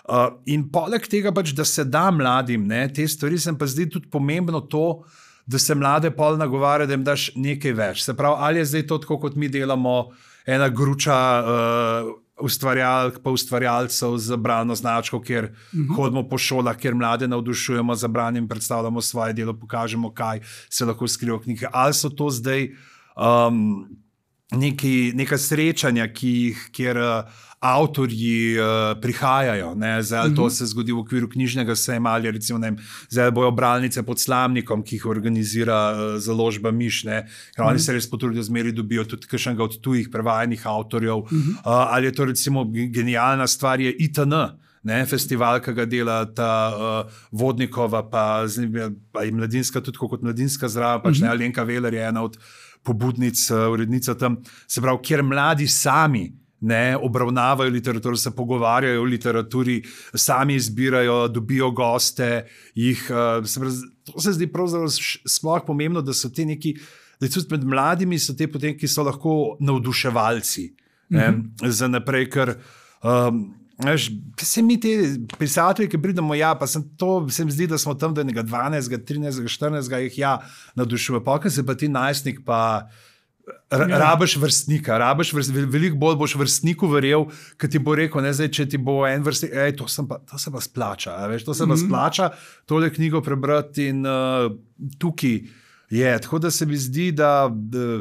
Uh, in poleg tega pač, da se da mladim, ne, te stvari se pa zdi tudi pomembno to, da se mlade pol nagovarja, da jim daš nekaj več. Se pravi, ali je zdaj to tako, kot mi delamo, ena gruča uh, ustvarjalk, pa ustvarjalcev z bralno značko, kjer uh-huh. hodimo po šolah, kjer mlade navdušujemo za branje in predstavljamo svoje delo, pokažemo, kaj se lahko skriva v knjige. Ali so to zdaj um, neki, neka srečanja, ki jih, kjer uh, avtorji uh, prihajajo, ne? Zdaj, uh-huh. to se zgodi v okviru knjižnega sejma, ali recimo, ne vem, zdaj bojo bralnice pod Slamnikom, ki jih organizira uh, založba Miš, ne? Ker uh-huh. oni se res potrudijo, zmeri dobijo tudi kakšnega od tujih prevajanih avtorjev, uh-huh. uh, ali je to recimo genialna stvar, je I T N, ne? Festival, ki ga dela ta uh, Vodnikova, pa, pa je mladinska, tudi kot mladinska zdrava, pač uh-huh. ne, Alenka Veler je ena od pobudnic, uh, urednica tam, se pravi, kjer mladi sami ne obravnavajo literaturo, se pogovarjajo o literaturi, sami izbirajo, dobijo goste, jih, uh, se pravi, to se zdi pravzaprav sploh pomembno, da so te neki, da tudi med mladimi so te potem, ki so lahko navduševalci, ne, mm-hmm. za naprej, ker um, veš, se mi te pisatelji, ki pridemo, ja, pa sem to, se mi zdi, da smo tam do enega dvanajstega, trinajstega, štirinajstega jih ja navdušuje, pa kaj se pa ti najstnik pa R- ja. Rabiš vrstnika, rabiš vrst, veliko bolj boš vrstniku verjel, ki ti bo rekel, ne, zdaj, če ti bo en vrstnik, ej, to, pa, to se pa splača, veš, to se pa mm-hmm. splača, tole knjigo prebrati in uh, tukaj je, tako da se mi zdi, da, da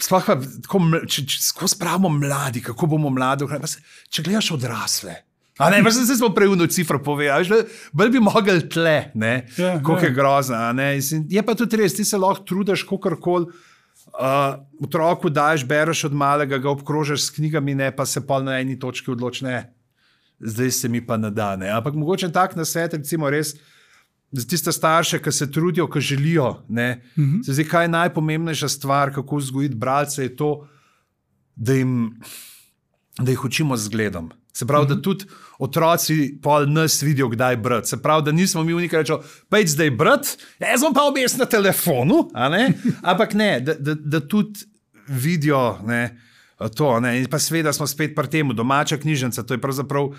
sploh pa, tako, če, če tako spravimo mladi, kako bomo mladi, pa se, če gledaš odrasle, a ne, pa se zdaj smo preuno cifro povedali, bolj bi mogli tle, ne, yeah, koliko yeah. je grozna, ne, je pa tudi res, ti se lahko trudiš, kakorkoli. Uh, otroku daješ, bereš od malega, ga obkrožeš s knjigami, ne, pa se pa na eni točki odloči, ne, zdaj se mi pa ne da, ne. Ampak mogoče tak nasvet, recimo res, za tiste starše, ki se trudijo, ki želijo, ne, mm-hmm. se zdi, kaj je najpomembnejša stvar, kako vzgojiti bralce, je to, da jim, da jih učimo z zgledom. Se pravi, mm-hmm. da tudi otroci pol nas vidijo, kdaj brati. Se pravi, da nismo mi unika rečo, pejď zdaj brati, jaz bom pa objes na telefonu, a ne? Ampak ne, da, da, da tudi vidijo, ne, to, ne, in pa seveda smo spet pri temu, domača knjižnica, to je pravzaprav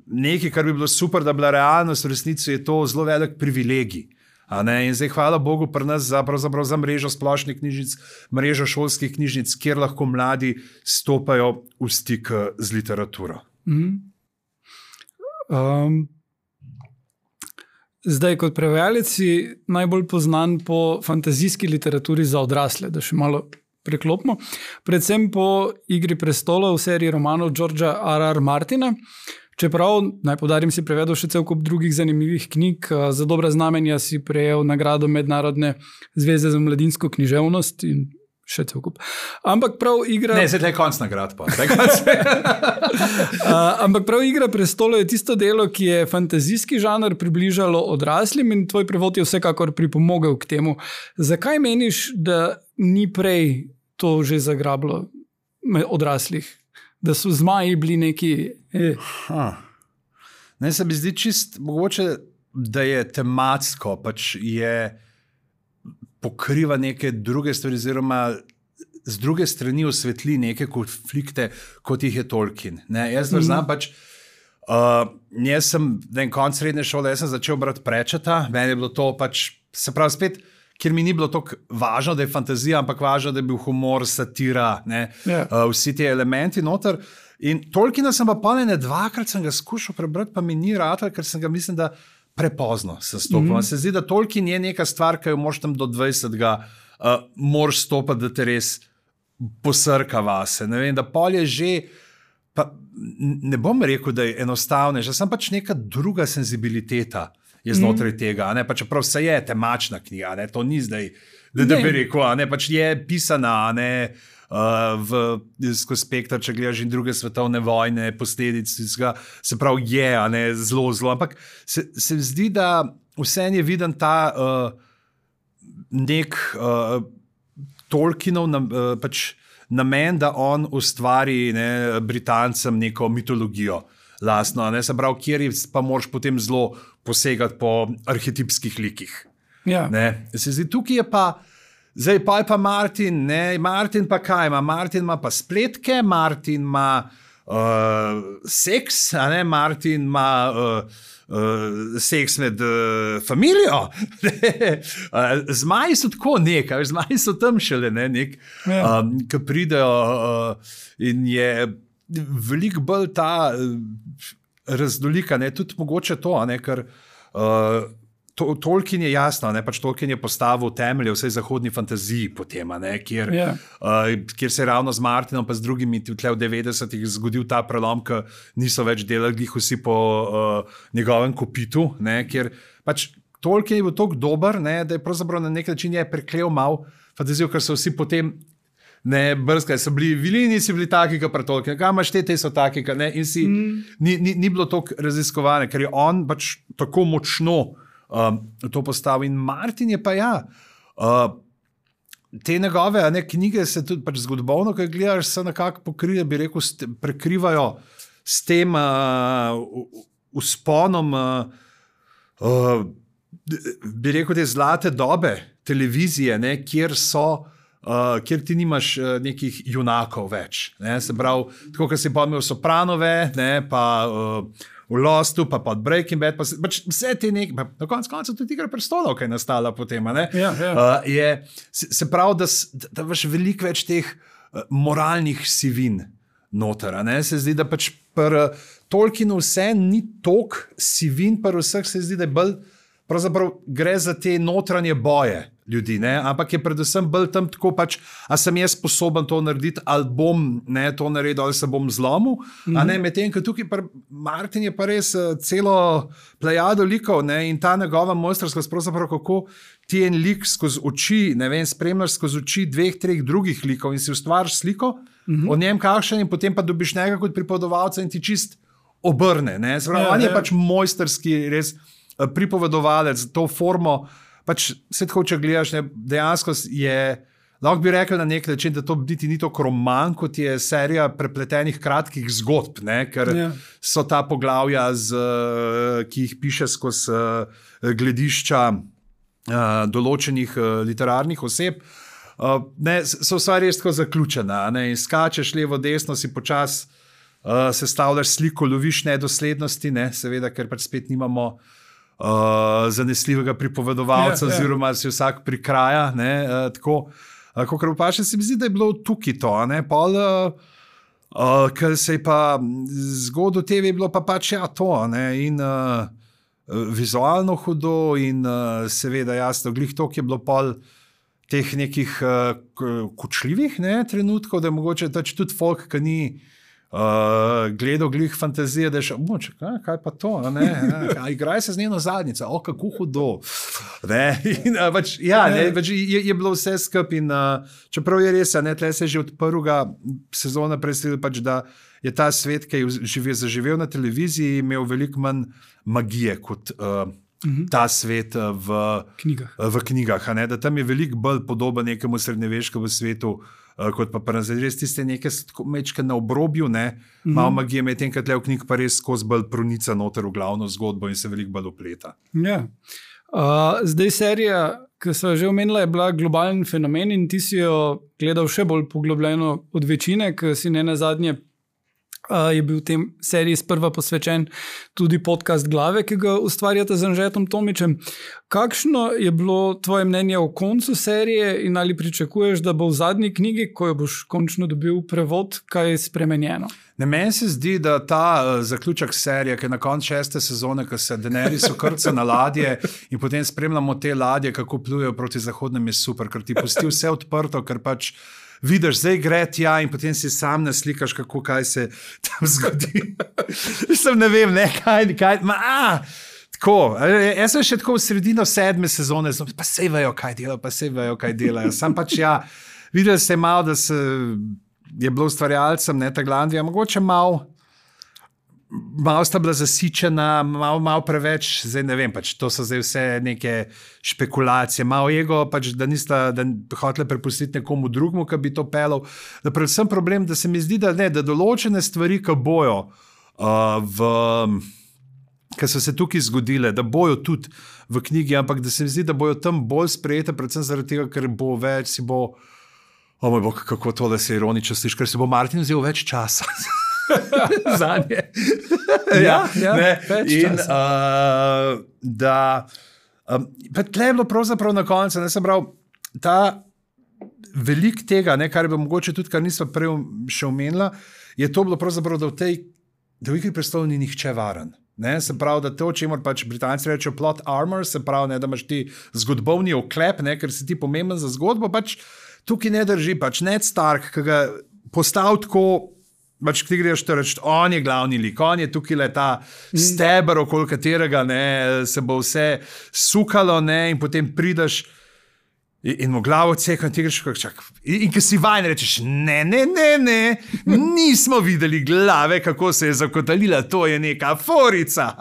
nekaj, kar bi bilo super, da bila realnost, v resnici je to zelo velik privilegij. A ne? In zdaj hvala Bogu pri nas za, pravzaprav za mrežo splošnih knjižnic, mrežo šolskih knjižnic, kjer lahko mladi stopajo v stik z literaturo. Mm-hmm. Um, zdaj, kot prevajalec si najbolj poznan po fantazijski literaturi za odrasle, da še malo preklopimo, predvsem po Igri prestolov v seriji romanov Georgea R R. Martina. Čeprav, naj poudarim, si prevedel še cel kup drugih zanimivih knjig. Za dobra znamenja si prejel nagrado Mednarodne zveze za mladinsko književnost in še cel kup. Ampak prav igra... Ne, zdaj je konc nagrad pa. uh, ampak prav igra prestolov je tisto delo, ki je fantazijski žanr približalo odraslim in tvoj prevod je vsekakor pripomogel k temu. Zakaj meniš, da ni prej to že zagrablo odraslih? Da so zmaji bili neki... Eh. Ne, se mi zdi čist mogoče, da je tematsko, pač je... pokriva neke druge stvari, oziroma z druge strani osvetli neke konflikte, kot jih je Tolkien. Ne, jaz mm. znam pač, uh, jaz sem na koncu srednje šole, jaz sem začel brati Pratchetta, meni je bilo to pač, se pravi spet, ker mi ni bilo tako važno, da je fantazija, ampak važno, da je bil humor, satira, ne, yeah. uh, vsi ti elementi noter. In Tolkiena sem pa ponene dvakrat sem ga skušal prebrati, pa mi ni ratal, ker sem ga mislim, da prepozno se stopil. Mm -hmm. Se zdi, da Tolkien je neka stvar, ki jo moraš tam do dvajsetega uh, moraš stopiti, da te res posrka vase. Ne vem, da pol je že, pa ne bom rekel, da je enostavnejša, sem pač neka druga senzibiliteta je znotraj mm -hmm. tega, ne, pa čeprav vse je temačna knjiga, ne, to ni zdaj, da, da bi rekel, ne, pač je pisana, ne, Uh, v, skozi spektr, če gledaš in druge svetovne vojne, posledic, se pravi, je ne, zelo, zelo. Ampak se, se zdi, da vseeno je viden ta uh, nek uh, Tolkienov nam, uh, pač namen, da on ustvari ne, Britancem neko mitologijo lastno, ne, se pravi, kjer pa moraš potem zelo posegati po arhetipskih likih. Ja. Ne. Se zdi, tukaj je pa zdaj pa je pa Martin, ne, Martin pa kaj ima? Martin ima pa spletke, Martin ima uh, seks, a ne, Martin ima uh, uh, seks med uh, familijo. uh, zmaji so tako nekaj, zmaji so tam šele, ne, nek, ja. um, ki pridejo uh, in je veliko bolj ta uh, raznolika, ne, tudi mogoče to, a ne, ker uh, To, Tolkien je jasno, ne, pač Tolkien je postavil temelje vsej zahodni fantaziji potem, ne, kjer, yeah. uh, kjer se je ravno z Martinom pa z drugimi tle v devetdesetih zgodil ta prelom, ki niso več delali vsi po uh, njegovem kopitu, ne, kjer pač Tolkien je bil toliko dober, ne, da je pravzaprav na nek način je preklel mal fantazijo, ker so vsi potem ne, brskaj, so bili vilini, si bili taki, kot pri Tolkienu, kaj imaš te, te so taki, ne, in si, mm. ni, ni, ni bilo toliko raziskovane, ker je on pač tako močno Um, to postavil. In Martin je pa ja, uh, te njegove ne, knjige se tudi pač zgodovino, ki gledaš, se nekako pokrivajo, bi rekel, st prekrivajo s tem uh, vzponom, uh, uh, bi rekel, te zlate dobe televizije, ne, kjer so, uh, kjer ti nimaš uh, nekih junakov več. Ne, se pravi, tako, kot si pomnil Sopranove, ne, pa uh, v Lostu, pa pod Breaking Bad, pa pač vse te nekaj, pa na koncu konca tudi Igra prestolov, ki je nastala potem, ne? Ja, ja. Uh, je, se, se pravi, da, da imaš veliko več teh uh, moralnih sivin noter, ne? Se zdi, da pač pri uh, Tolkienu vse ni toliko sivin, pri vseh se zdi, da je bolj, pravzaprav gre za te notranje boje ljudi, ne? Ampak je predvsem bolj tam tako pač, a sem jaz sposoben to narediti, ali bom ne, to naredil, ali se bom zlomil, mm-hmm. a ne, medtem, ker tukaj pa Martin je pa res uh, celo plejado likov, ne, in ta njegova mojstrskost, pravzaprav kako ti en lik skozi oči, ne vem, spremljaš skozi oči dveh, treh drugih likov in si ustvariš sliko mm-hmm. o njem kakšen in potem pa dobiš njega kot pripovedovalca in ti čist obrne, ne, sprav, ja, on je ja. pač mojstrski res uh, pripovedovalec, to formo. Pač se tako, če gledaš, ne, dejansko je, lahko bi rekel na nek način, da to niti ni tako roman, kot je serija prepletenih kratkih zgodb, ne, ker yeah. so ta poglavja, z, ki jih piše skozi uh, gledišča uh, določenih uh, literarnih oseb, uh, ne, so vsa res tako zaključena, ne, in skačeš levo, desno, si počas uh, sestavljaš sliko, loviš nedoslednosti, ne, seveda, ker pač spet nimamo Uh, zanesljivega pripovedovalca, yeah, yeah. oziroma si vsak prikraja. Ne, uh, tako, uh, kot pa še se mi zdi, da je bilo tukaj to. Ne, pol, uh, uh, ker se je pa zgodil te, je bilo pa pač ja to. Ne, in uh, vizualno hudo, in uh, seveda jasno, glih to, ki je bilo pol teh nekih uh, kočljivih ne, trenutkov, da je mogoče tač tudi folk, ki ni Uh, gledal glih fantazije, da je še, moč, kaj, kaj pa to, ne, a, igraj se z njeno zadnjico, o, kako hudo. Ne, in, a, bač, ja, ne, bač, je, je bilo vse skup in uh, čeprav je res, ne, tle se je že od prvega sezona predstavil, pač, da je ta svet, ki je živel, zaživel na televiziji, imel veliko manj magije kot uh, uh-huh. ta svet uh, v knjigah, uh, v knjigah a ne, da tam je veliko bolj podoben nekemu srednjeveškemu svetu, Uh, kot pa prenazir, res tiste neke mečke na obrobju, ne, mm-hmm. malo magije, medtem, kad le v knjig pa res skozi bolj pronica noter v glavno zgodbo in se veliko bolj opleta. Ja. Uh, zdaj serija, ki so že omenila, je bila globalen fenomen in ti si jo gledal še bolj poglobljeno od večine, ker si ne nazadnje Uh, je bil v tem seriji sprva posvečen tudi podcast Glave, ki ga ustvarjate z Anžetom Tomičem. Kakšno je bilo tvoje mnenje o koncu serije in ali pričakuješ, da bo v zadnji knjigi, ko jo boš končno dobil prevod, kaj spremenjeno? Ne, meni se zdi, da ta uh, zaključek serije, ki je na koncu šeste sezone, ko se Daenerys ukrca na ladje in potem spremljamo te ladje, kako plujejo proti zahodnem, je super, ker ti pusti vse odprto, ker pač vidiš, zdaj gre tja in potem si sam naslikaš, kako kaj se tam zgodi. Sem ne vem, ne, kaj, kaj, ma, a, tako, jaz sem še tako v sredino sedme sezone, pa sej vejo, kaj delajo, pa sej vejo, kaj delajo. Sam pač ja, videl se malo, da se je bilo ustvarjalcem, ne, ta Glandija, mogoče malo, malo sta bila zasičena, malo, malo preveč, zdaj ne vem, pač to so zdaj vse neke špekulacije, malo ego, pač da nista da hoteli prepustiti nekomu drugmu, ki bi to pelal. Da predvsem problem, da se mi zdi, da ne, da določene stvari, ki bojo, uh, v, ki so se tukaj zgodile, da bojo tudi v knjigi, ampak da se mi zdi, da bojo tam bolj sprejete, predvsem zaradi tega, ker bo več, si bo, o moj bog, kako tole se ironično sliši, ker si bo Martin vzel več časa. Zanje. ja, ja, in uh, da um, tle je bilo pravzaprav na koncu, ne sem prav, ta velik tega, ne, kar je bilo mogoče tudi, kar nisem prej še omenila, je to bilo pravzaprav, da v tej, da v Igri prestolov ni nihče varen. Ne, se pravi, da to, čemur pač Britanci rečejo plot armor, se pravi, ne, da imaš ti zgodbovni oklep, ne, ker si ti pomemben za zgodbo, pač tukaj ne drži, pač Ned Stark, ki ga postav tako, pač ti greš to reči, on je glavni lik, on je tukaj le ta steber, okoli katerega ne, se bo vse sukalo, ne, in potem prideš in, in mu glavo ceka in ti greš, čak, in, in ki si vajen rečeš, ne, ne, ne, ne, nismo videli glave, kako se je zakotalila, to je neka forica,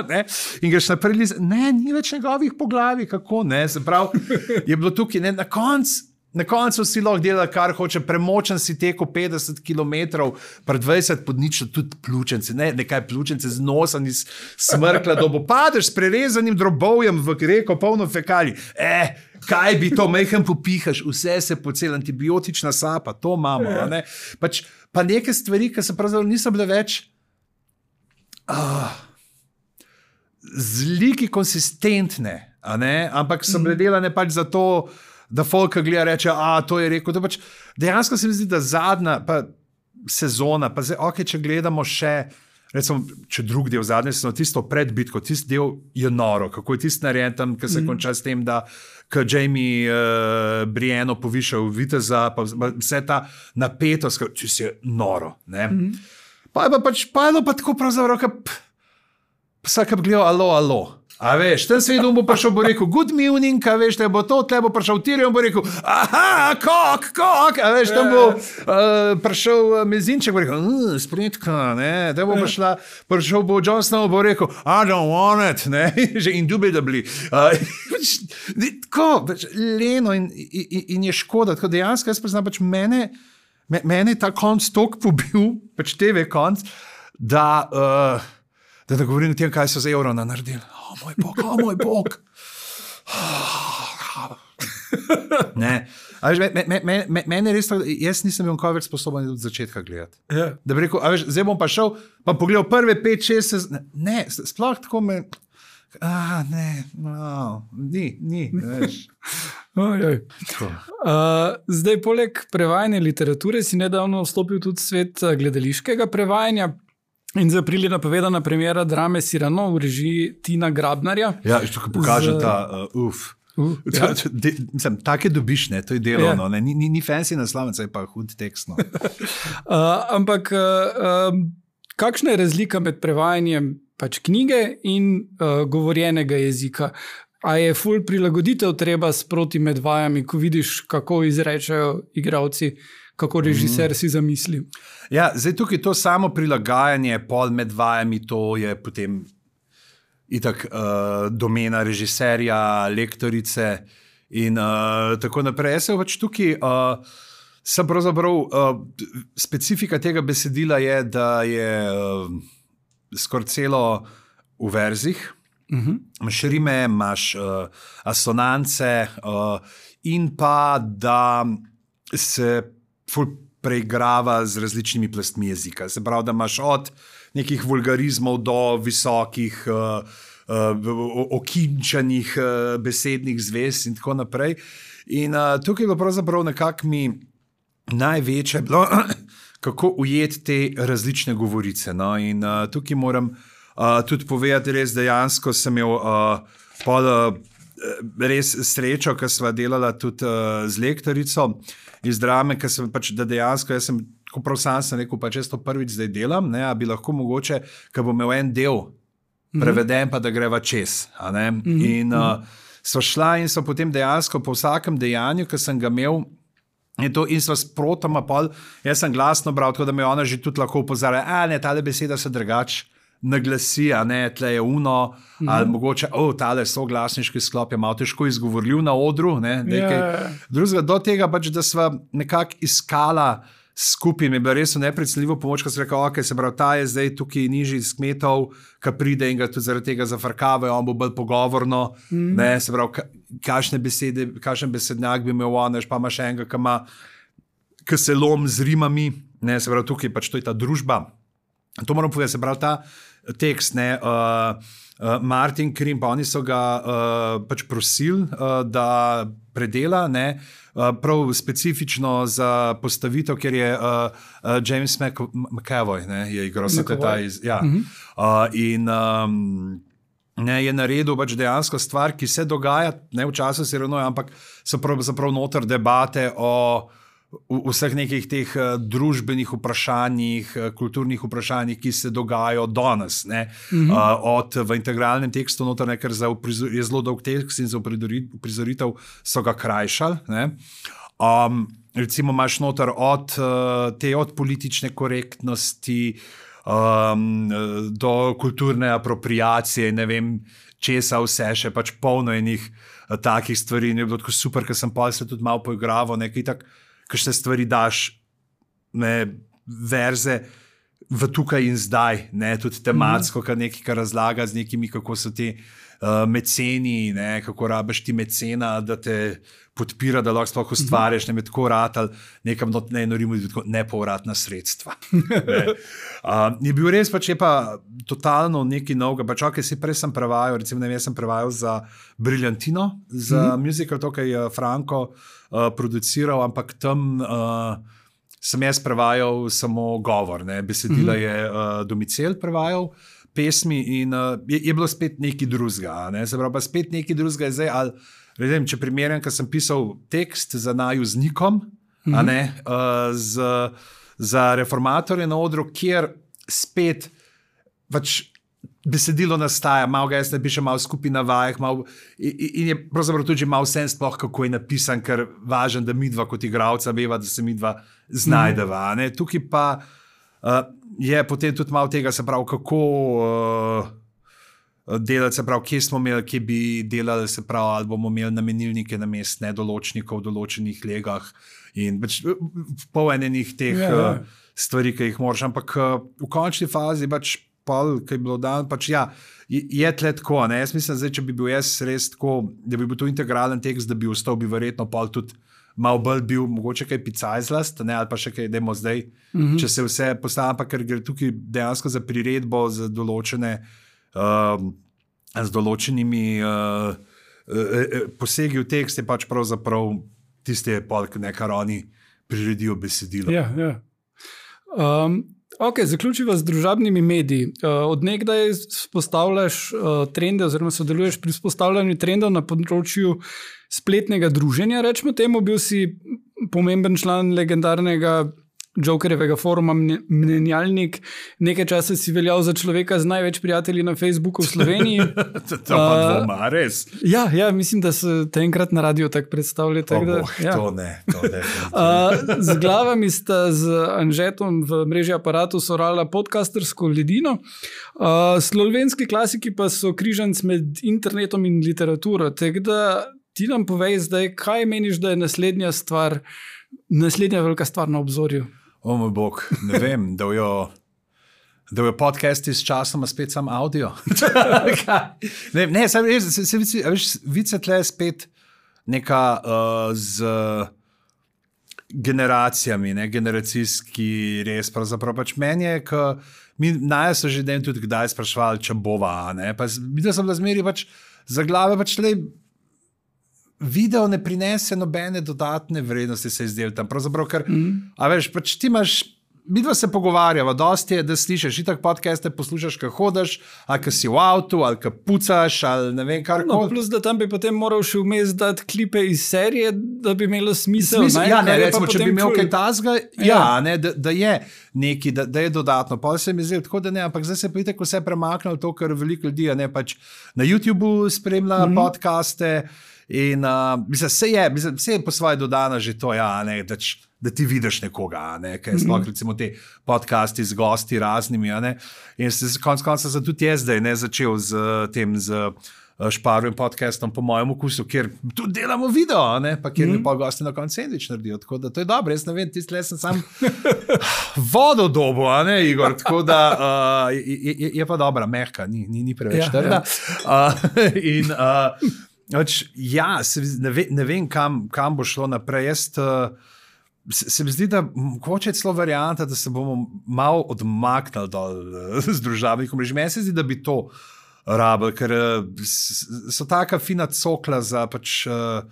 ne, in greš naprej, ne, ni več njegovih po glavi, kako, ne, se pravi, je bilo tukaj, ne, na koncu, Na koncu si lahko dela, kar hoče, premočen si tekel petdeset kilometrov, pred dvajset pod ničlo, tudi pljučence, ne, nekaj pljučence z nosom iz smrkla, da bo padeš s prerezanim drobovjem v reko, polno fekalij. Eh, kaj bi to, mejhen popihaš, vse se pocel, antibiotična sapa, to imamo, ne. Pač, pa neke stvari, ki se pravzaprav niso bile več uh, zliki konsistentne, a ne, ampak so bile delane pač za to, da folk gleda reče, a to je rekel, da pač dejansko se mi zdi, da zadnja pa sezona, pa zdaj, ok, če gledamo še, recimo, če drug del zadnje sezone, tisto pred bitko, tisti del je noro, kako je tisti narejen tam, ki se mm. konča s tem, da ko Jamie uh, Brienne poviša v viteza, pa vse ta napetost, če si je noro, ne. Mm. Pa je pa pač, pa je pa tako pravzaprav, ka vsak bi gledal, alo, alo. A veš, ten svet bo prišel, bo rekel, good morning, a veš, te bo to, tle bo prišel Tyrion, bo rekel, aha, kok, kok, a veš, tam bo uh, prišel Mezinček, bo rekel, uh, spritka, ne, te bo prišla, prišel bo Jon Snow, bo rekel, I don't want it, ne, že indubitably. Uh, tako, leno in, in, in je škoda, tako dejansko, jaz priznam, pač mene, mene ta konc tok pobil, pač T V konc, da, uh, da ne govorim o tem, kaj so z Eurona naredili. O moj bog, o moj bog. Ne. A veš, me, me, me, me, mene res tako, jaz nisem bil kaj več sposoben od začetka gledati. Yeah. Da bi rekel, a veš, zdaj bom pa šel, pa pogledal prve pet, šest, sez... ne, sploh tako me, a ne, no, ni, ni, veš. Ojoj. Uh, zdaj, poleg prevajanja literature si nedavno vstopil tudi v svet gledališkega prevajanja. In za april je napovedana premiera drame Cyrano v režiji Tina Grabnarja. Ja, što pokaže z... ta, uh, uf. Uh, ja. Take dobiš, ne, to je delovno, ja. ni, ni, ni fancy naslovec, je pa hud tekstno. uh, ampak uh, um, kakšna je razlika med prevajanjem pač knjige in uh, govorjenega jezika? A je ful prilagoditev treba sproti med vajami, ko vidiš, kako izrečajo igralci, kako režiser mm. si zamisli? Ja, zdaj tukaj to samo prilagajanje pol med vajami, to je potem itak uh, domena režiserja, lektorice in uh, tako naprej. Jaz se pač tukaj, uh, sem pravzaprav, uh, specifika tega besedila je, da je uh, skoraj celo v verzih, uh-huh. imaš rime, imaš uh, asonance uh, in pa, da se ful preigrava z različnimi plastmi jezika. Se pravi, da imaš od nekih vulgarizmov do visokih, uh, uh, okinčanih uh, besednih zvez in tako naprej. In uh, tukaj je bilo pravzaprav nekako mi največje bilo, kako ujeti te različne govorice. No? In uh, tukaj moram uh, tudi povedati, res dejansko sem imel uh, pol, uh, res srečo, ker sva delala tudi uh, z lektorico iz drame, ker sem pač, da dejansko, jaz sem, ko prav sam sem rekel, pa če to prvič zdaj delam, ne, a bi lahko mogoče, ker bom imel en del preveden, pa da greva čez. A ne? Mm-hmm. In uh, so šla in so potem dejansko po vsakem dejanju, ki sem ga imel, in, to, in so sprotoma pol, jaz sem glasno bral, tako da me ona že tudi lahko upozarja, a ne, tale beseda se drugače naglasi, a ne, tle je uno, mm-hmm. ali mogoče, o, oh, tale soglasniški sklop je malo težko izgovorljiv na odru, ne, nekaj yeah. drugega, do tega pač, da sva nekako iskala skupaj, mi je bilo res nepredstavljivo pomoč, ko sem rekel, ok, se pravi, ta je zdaj tukaj nižji iz kmetov, ki pride in ga tudi zaradi tega zafrkavajo, on bo bolj pogovorno, mm-hmm. ne, se pravi, kakšne besede, kakšen besednjak bi imel on, pa ima še enega, ki ima, ki se lom z rimami, ne, se pravi, tukaj pač to je ta družba. To moram povedati, se pravi, ta tekst, ne, uh, uh, Martin Krim, pa oni so ga uh, pač prosili, uh, da predela, ne, uh, prav specifično za postavitev, ker je uh, uh, James Mc, McAvoy, ne, je igral se ta iz, ja, mm-hmm. uh, in um, ne, je naredil pač dejansko stvar, ki se dogaja, ne v času sironoja, ampak so prav, zaprav noter debate o v vseh nekih teh uh, družbenih vprašanjih, uh, kulturnih vprašanjih, ki se dogajajo danes. Mm-hmm. Uh, od v integralnem tekstu noter, ne, ker za uprizor, je zelo dolg tekst in za uprizoritev so ga krajšali. Ne. Um, recimo imaš noter od uh, te od politične korektnosti um, do kulturne apropriacije, ne vem, česa vse še, pač polno enih uh, takih stvari. In je bilo tako super, ker sem pa se tudi malo poigraval, nekaj tak, kakšne stvari daš, ne, verze v tukaj in zdaj, ne, tudi tematsko, mm-hmm. kar nekaj, kar razlaga z nekimi, kako so ti uh, meceni, ne, kako rabiš ti mecena, da te podpira, da lahko sploh ustvariš, mm-hmm. ne, tako ratal, nekam not, ne, norimo, nepovratna sredstva. ne. Uh, je bil res pač, je pa totalno nekaj novega, pač ok, si prej sem prevajal, recimo, ne, jaz sem prevajal za Briljantino, za mm-hmm. musical, to, kaj je Franko uh, produciral, ampak tam uh, sem jaz prevajal samo govor, ne, besedila mm-hmm. je uh, Domicel prevajal, pesmi in uh, je, je bilo spet nekaj drugega, ne, se pravi, pa spet nekaj drugega je zdaj, ali, vedem, če primerjam, ker sem pisal tekst za naju z Nikom, mm-hmm. a ne, uh, z, za reformatorje na odru, kjer spet pač besedilo nastaja, malo ga jaz napišem, malo skupaj na vajah, malo, in, in je pravzaprav tudi malo sen sploh, kako je napisan, ker važen, da midva kot igravca veva, da se midva znajdeva. Ne? Tukaj pa uh, je potem tudi malo tega, se pravi, kako uh, delati, se pravi, kje smo imeli, kje bi delali, se pravi, ali bomo imeli namenilnike na mest nedoločnikov v določenih legah in pač pol enenih teh yeah, yeah. Uh, stvari, ki jih moraš, ampak uh, v končni fazi pač pol, ki je bilo dan, pač ja, je, je tle tako, ne, jaz mislim, zdaj, če bi bil jaz res tako, da bi bil to integralen tekst, da bi ostal, bi verjetno pol tudi malo bolj bil, mogoče kaj picajzlast, ne, ali pa še kaj, dajmo zdaj, mm-hmm. če se vse postavlja, pa ker gre tukaj dejansko za priredbo, za določene, uh, z določenimi uh, uh, posegi v tekst, je pač pravzaprav tiste pol, nekaj oni priredijo besedilo. Ja, ja. Um, Ok, zaključiva z družabnimi mediji. Od nekdaj spostavljaš trende oziroma sodeluješ pri spostavljanju trendov na področju spletnega druženja. Rečemo temu, bil si pomemben član legendarnega Jokerjevega foruma Mnenjalnik. Nekaj časa si veljal za človeka z največ prijatelji na Facebooku v Sloveniji. to pa dvoma, res? Ja, ja, mislim, da se te enkrat na radio tako predstavlja. Tak, oh, boh, ja. To ne. To ne uh, z glavami sta z Anžetom v mreži Aparatu sorala podcastersko ledino. Uh, slovenski klasiki pa so križanc med internetom in literaturo. Tako da ti nam povej zdaj, kaj meniš, da je naslednja stvar, naslednja velika stvar na obzorju? O moj bog, ne vem, da jo, da jo podcasti s časoma spet sam audio. ne, ne, sam, se, se, se, veš, vice tle spet neka uh, z generacijami, ne, generacijski res, pravzaprav pač meni je, ko mi naja so že den tudi kdaj sprašvali, če bova, ne, pa videl sem, da zmeri pač za glave pač tle video ne prinese nobene dodatne vrednosti, se izdel tam. Pravzaprav, ker, mm. a veš, pač ti imaš, mi dva se pogovarjava, dosti je, da slišiš, itak podcaste poslušaš, ko hodiš, ali ko si v avtu, ali ko pucaš, ali ne vem, kar no, plus, da tam bi potem moral še vmes dati klipe iz serije, da bi imelo smisel. smisel ja, ne, recimo, če bi imel kaj tazga, ja, ja ne, da, da je neki, da, da je dodatno. Pa se mi zdi, tako da ne, ampak zdaj se pa itak vse premaknilo to, kar veliko ljudi, ne, pač na YouTubeu spremlja mm-hmm. podcaste. In uh, mislim, vse je, mislim, vse je po svoje dodano že to, ja, ne, da, č, da ti vidiš nekoga, ne, kaj sploh mm-hmm. recimo te podcasti z gosti raznimi, ne, in se konc konca sem tudi jaz zdaj ne začel z tem, z Šparovim podcastom po mojem okusu, kjer tudi delamo video, ne, pa kjer mm-hmm. mi pa gosti na koncu sendvič naredijo, tako da to je dobro, jaz ne vem, tiste le sem sam vodo dobo, a ne, Igor, tako da uh, je, je, je pa dobra, mehka, ni, ni, ni preveč ja, trda. Ja. Uh, in uh, Oč, ja, se, ne, ve, ne vem, kam, kam bo šlo naprej. Jaz, uh, se, se mi zdi, da mogoče je celo varianta, da se bomo malo odmaknili dol uh, z družabnih omrežij. Meni se zdi, da bi to rabili, ker uh, so taka fina cokla za pač, uh,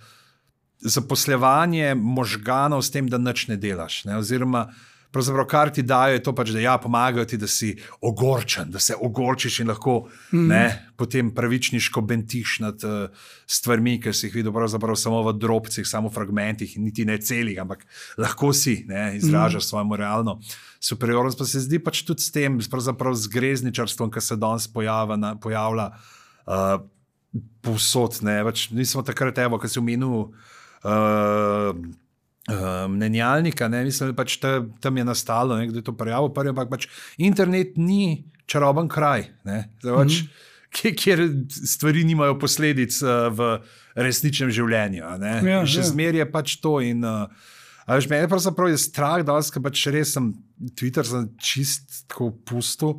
zaposlevanje možganov s tem, da nič ne delaš. Ne? Oziroma, pravzaprav, kar ti dajo, je to pač, da ja, pomagajo ti, da si ogorčen, da se ogorčiš in lahko mm. ne, potem pravičniško bentiš nad uh, stvarmi, ker si jih videl pravzaprav samo v drobcih, samo v fragmentih in niti ne celih, ampak lahko si ne, izražaš mm. svojo moralno superiornost. Pa se zdi pač tudi s tem, pravzaprav z grezničarstvom, ki se danes pojavlja, na, pojavlja uh, povsod. Ne, pač nismo takrat, evo, ki si omenil uh, Uh, mnenjalnika, ne, mislim, da pač ta, tam je nastalo, ne, kdo je to prijavil, prvi, ampak pač internet ni čaroben kraj, ne, zdaj, pač, mm-hmm. kjer stvari nimajo posledic uh, v resničnem življenju. Ne. Ja, še ja. Zmer je pač to in uh, a veš, mene pravzaprav je strah, da ker pač res sem Twitter sem čist tako pusto,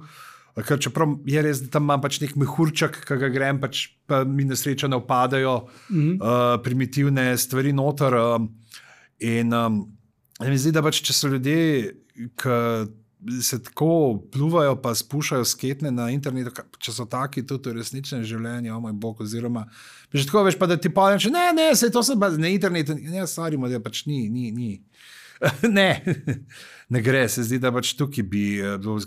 ker čeprav je res, da tam imam pač nek mehurček, ki ga grem, pač pa mi nesreča ne upadajo mm-hmm. uh, primitivne stvari noter. Uh, In um, mi zdi, da pač, če so ljudje, ki se tako pluvajo pa spušajo sketne na internetu, če so taki tudi v resničnem življenju, o moj bog, oziroma že tako veš, pa da ti povem, če ne, ne, se to sem pa na internetu, ne, stvarimo, da pač ni, ni, ni. ne, ne gre, se zdi, da pač tukaj bi,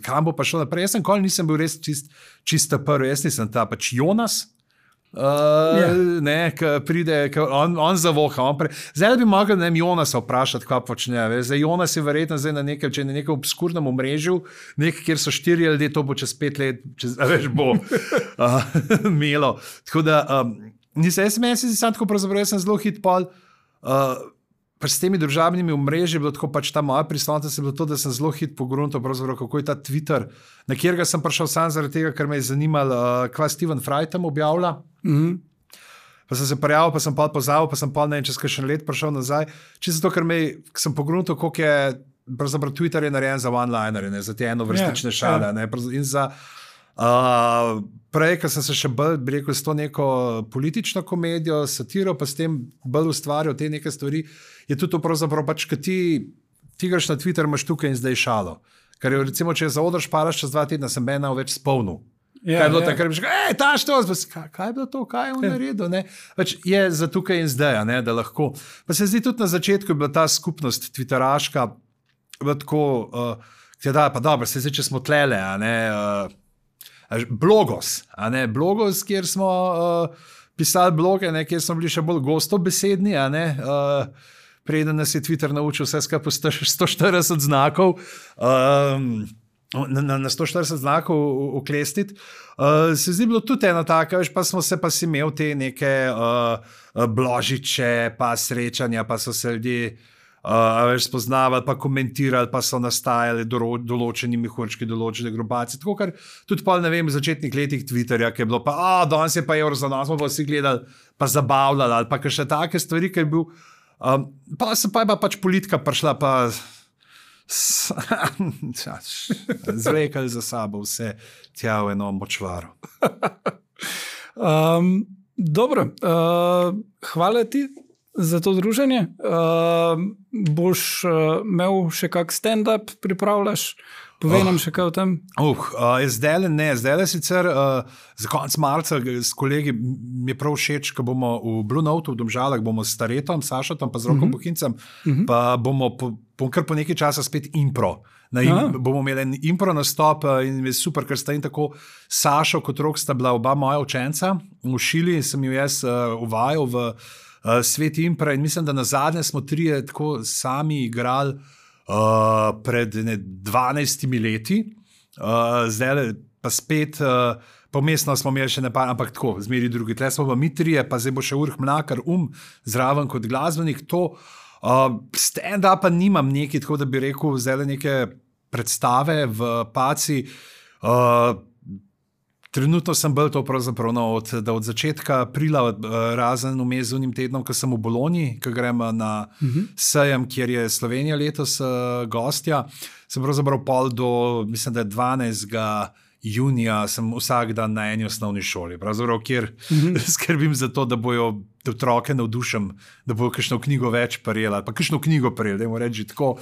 kam bo pa šlo naprej. Jaz sem kol, nisem bil res čist, čista prvi, jaz nisem ta pač Jonas, Uh, yeah. ne, ki pride, ki on, on zavoha. On pre... Zdaj bi mogel ne, Jonasa vprašati, kaj počne. Zdaj, Jonas je verjetno zdaj na nekem, če je na nekem obskurnem omrežju, nek, kjer so štiri ljudje, to bo čez pet let, čez, veš, bo uh, imelo. Tako da, um, nisem, jaz sem jaz sem tako, pravzaprav, jaz sem zelo hit pol, uh, pa s temi družabnimi omrežji je bilo tako, pač ta moja prisotnost je bilo to, da sem zelo hit pogruntal, pravzaprav, kako je ta Twitter, na kjerega sem prišel sam zaradi tega, ker me je zanimalo, uh, kva Steven Fry tam objavlja. Mm-hmm. Pa sem se prijavil, pa sem pa pozabil, pa sem pa ne vem, čez kakšen let prišel nazaj. Čisto zato, ker me, sem pogruntal, koliko je, pravzaprav Twitter je narejen za one-linere, za te enovrstične yeah, šale. Yeah. Ne, in za, uh, prej, ker sem se še bolj, bi rekel, s to neko politično komedijo, satiro, pa s tem bolj ustvarjal te neke stvari, je tudi to pravzaprav pač, kad ti, ti greš na Twitter, imaš tukaj in zdaj šalo. Ker je, recimo, če za odr šparaš čez dva tedna, sem mena več spolnil. Yeah, kaj je bilo yeah. takrat, ej, taš to, kaj, kaj je bilo to, kaj je on yeah. naredil, ne? Pač je za tukaj in zdaj, ne, da lahko. Pa se zdi tudi na začetku je bila ta skupnost twitteraška, bila tako, uh, Da, pa dobro, se zdaj, če smo tlele, a ne, uh, blogos, a ne, blogos, kjer smo uh, pisali bloge, ne, kjer smo bili še bolj gostobesedni, a ne, uh, preden nas je Twitter naučil vse skupaj sto štirideset znakov, um, na, na, na sto štirideset znakov uklestiti. Uh, se zdi bilo tudi ena taka, veš, pa smo se pa si imel te neke uh, bložiče, pa srečanja, pa so se ljudje Uh, veš, spoznavali, pa komentirali, pa so nastajali dolo, določeni mehurčki, določene grupacije. Tako, kar tudi pa, ne vem, v začetnih letih Twitterja, ki je bilo pa, a, danes je pa evro za nas, smo pa vsi gledali, pa zabavljali, ali pa še take stvari, ki je bil. Um, pa se pa je pa pač politika prišla, pa zvekali za sabo vse tja v eno močvaro. um, dobro, uh, hvala ti za to druženje. Uh, boš uh, imel še kak stand-up, pripravljaš? Povej oh. nam še kaj o tem. Uh, uh, zdaj ne, zdaj le sicer uh, za konec marca s kolegi mi je prav všeč, ko bomo v Blue Note v Domžalah, bomo s Staretom, Sašatom, pa z Rokom uh -huh. Bohincem, uh -huh. pa bomo po, po kar po nekaj časa spet impro. Na im, bomo imeli en impro nastop in je super, ker sta in tako Sašo kot Rok sta bila oba moja učenca. V Šili sem jo jaz uh, uvajal v uh, svet impra in mislim, da na zadnje smo trije tako sami igrali uh, pred ne, dvanajstimi leti. Uh, zdaj pa spet, uh, pomestno smo imeli še ne pa, ampak tako, zmeri drugi. Tle smo pa mi trije, pa zdaj bo še Urh Mlakar um zraven kot glasbenik. To Uh, stand-upa nimam neki, tako da bi rekel, zdaj neke predstave v Paci. Uh, trenutno sem bil to pravzaprav no, od, da od začetka aprila, uh, razen vmes z unim tednom, ko sem v Bologni, ko grem na uh -huh. sejem, kjer je Slovenija letos uh, gostja. Sem pravzaprav pol do, mislim, da je dvanajstega junija, sem vsak dan na eni osnovni šoli, pravzaprav, kjer uh -huh. skrbim za to, da bojo otroke navdušen, da bojo kakšno knjigo več prijeli, ali pa kakšno knjigo prijeli, dajmo reči tako.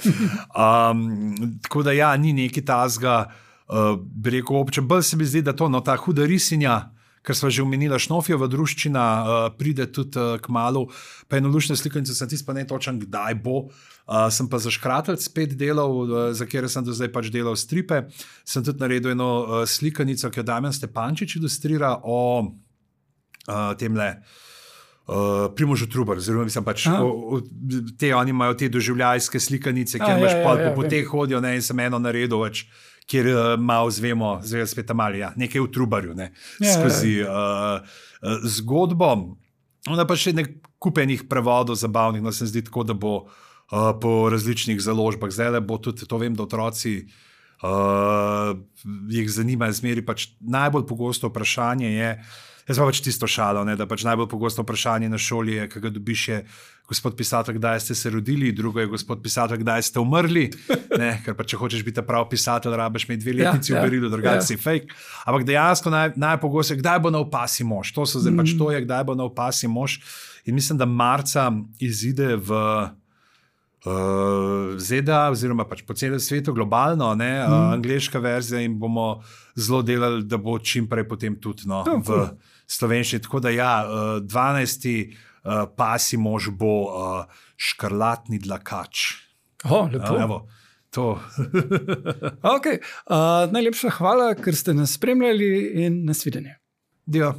Um, tako da ja, ni neki tazga, uh, bi rekel, obče. Bolj se mi zdi, da to, no, ta huda risinja, ker sva že omenila, Šnofjeva druščina, uh, pride tudi uh, k malu, pa eno lušne slikanice, sem tisto pa ne točen, kdaj bo. Uh, sem pa za Škratelj spet delal, uh, za kjer sem do zdaj pač delal stripe. Sem tudi naredil eno uh, slikanico, ki jo Damjan Stepančič ilustrira o uh, temle Uh, Primožu Trubar, oziroma mislim pač, o, o, te, oni imajo te doživljajske slikanice, kjer imaš pol po poteh hodijo, ne, in sem eno naredil več, kjer uh, malo zvemo, zdaj spet mali, ja, nekaj v Trubarju, ne, ja, skozi uh, uh, zgodbo. Onda pa še nek kupenih prevodov zabavnih, no se zdi tako, da bo uh, po različnih založbah, zdaj bo tudi, to vem, da otroci uh, jih zanima, zmeri pač najbolj pogosto vprašanje je, jaz pa pač tisto šalo, ne, da pač najbolj pogosto vprašanje na šoli je, kaj ga dobiš je, gospod pisatelj, kdaj ste se rodili, drugo je, gospod pisatelj, kdaj ste umrli, ne, ker pa če hočeš biti prav pisatelj, rabiš imeti dve letnici ja, v berilu, drugače ja. si fake. Ampak dejansko naj, najpogosto je, kdaj bo nov pasi mož, to so zdaj mm. pač to je, kdaj bo nov pasi mož. In mislim, da marca izide v Uh, Z D A, oziroma pač po celem svetu, globalno, ne, mm. uh, angleška verzija in bomo zelo delali, da bo čim prej potem tudi no, oh, v cool. slovenščini. Tako da ja, uh, dvanajsti uh, pasi mož bo uh, Škrlatni dlakač. Oh, lepo. Uh, evo, to. okay. uh, najlepša hvala, ker ste nas spremljali in nasvidenje. Dio.